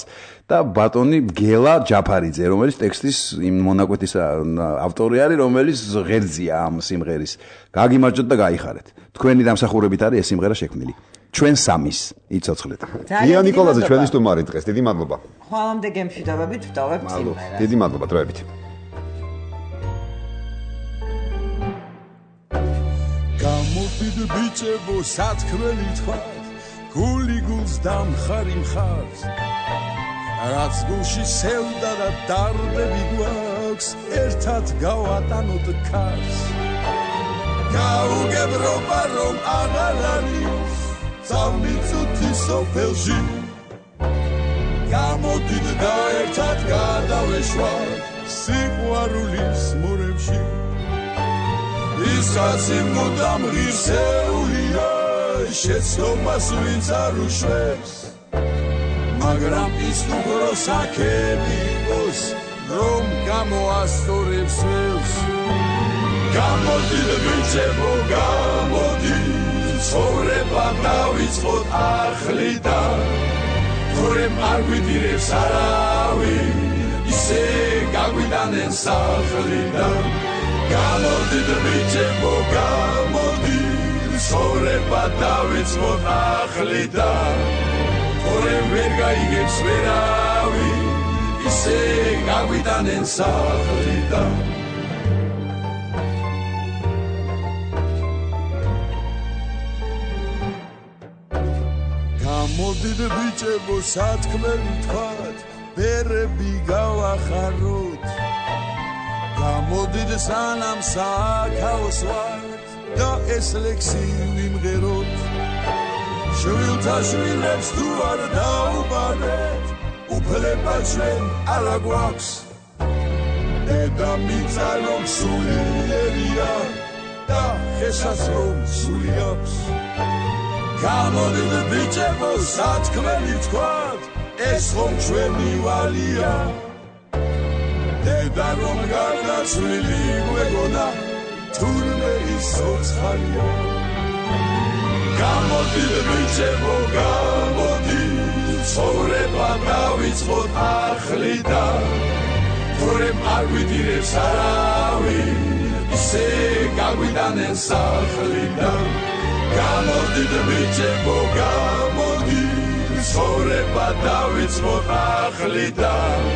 და ბატონი გელა ჯაფარიძე, რომელიც ტექსტის იმ მონაკვეთის ავტორი არის, რომელიც ღერძია ამ სიმღერის. გაგიმარჯოთ და გაიხარეთ. თქვენი დამსახურებით არის ეს სიმღერა შექმნილი. ჩვენ სამის იცოცხლეთ. გია ნიკოლაძე ჩვენი სტუმარი დღეს. დიდი მადლობა. ხვალამდე გემშვიდობებით ვტოვებთ სიმღერას. დიდი მადლობა დროებით. გამოდიდ ბიჭებო სათქმელი თქვა გული გულს დამხარი მხარს რაც გულში სევდა და დარდები გვაქვს ერთად გავატანოთ ქარს გაუგებრობა რომ აღარ არის წამიწუთი სოფელში გამოდიდ და ერთად გადავეშვათ სიყვარულის მორებში ისაცი მუდამ ღირსეულია შეცდომას ვინც არ უშვებს მაგრამ ის უფრო საქები იყოს რომ გამოასწორებს ველს გამოდით ბიჭებო გამოდით ცხოვრება დავიწყოთ ახლიდან თორემ არ გვიდირებს არავინ ისე გაგვიტანენ სახლიდან გამოდით ბიჭებო გამოდი ცხოვრება დავიწყოთ ახლიდან თორემ ვერ გაიგებს ვერავინ ისე გაგვიტანენ სახლიდან გამოდით ბიჭებო სათქმელი თქვათ ბერები გავახაროთ გამოდით სანამ საქაოს ვართ და ეს ლექსი ვიმღეროთ შვილთა შვილებს თუ არ დაუბანეთ უფლება ჩვენ არა გვაქვს დედამიწა რომ სულიერია და შესაძლო სული აქვს გამოდით ბიჭებო სათქმელი თქვათ ეს ხომ ჩვენი ვალია დედა რომ გარდაცვლილი გვეგონა თურმე ის ცოცხალია გამოდით ბიჭებო გამოდით ცხოვრება დავიწყოთ ახლიდან თორემ არ გვიდირებს არავინ ისე გაგვიტანენ სახლიდან გამოდით ბიჭებო გამოდით ცხოვრება დავიწყოთ ახლიდან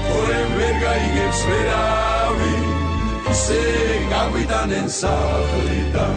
თორემ ვერ გაიგებს ვერავინ ისე გაგვიტანენ სახლიდან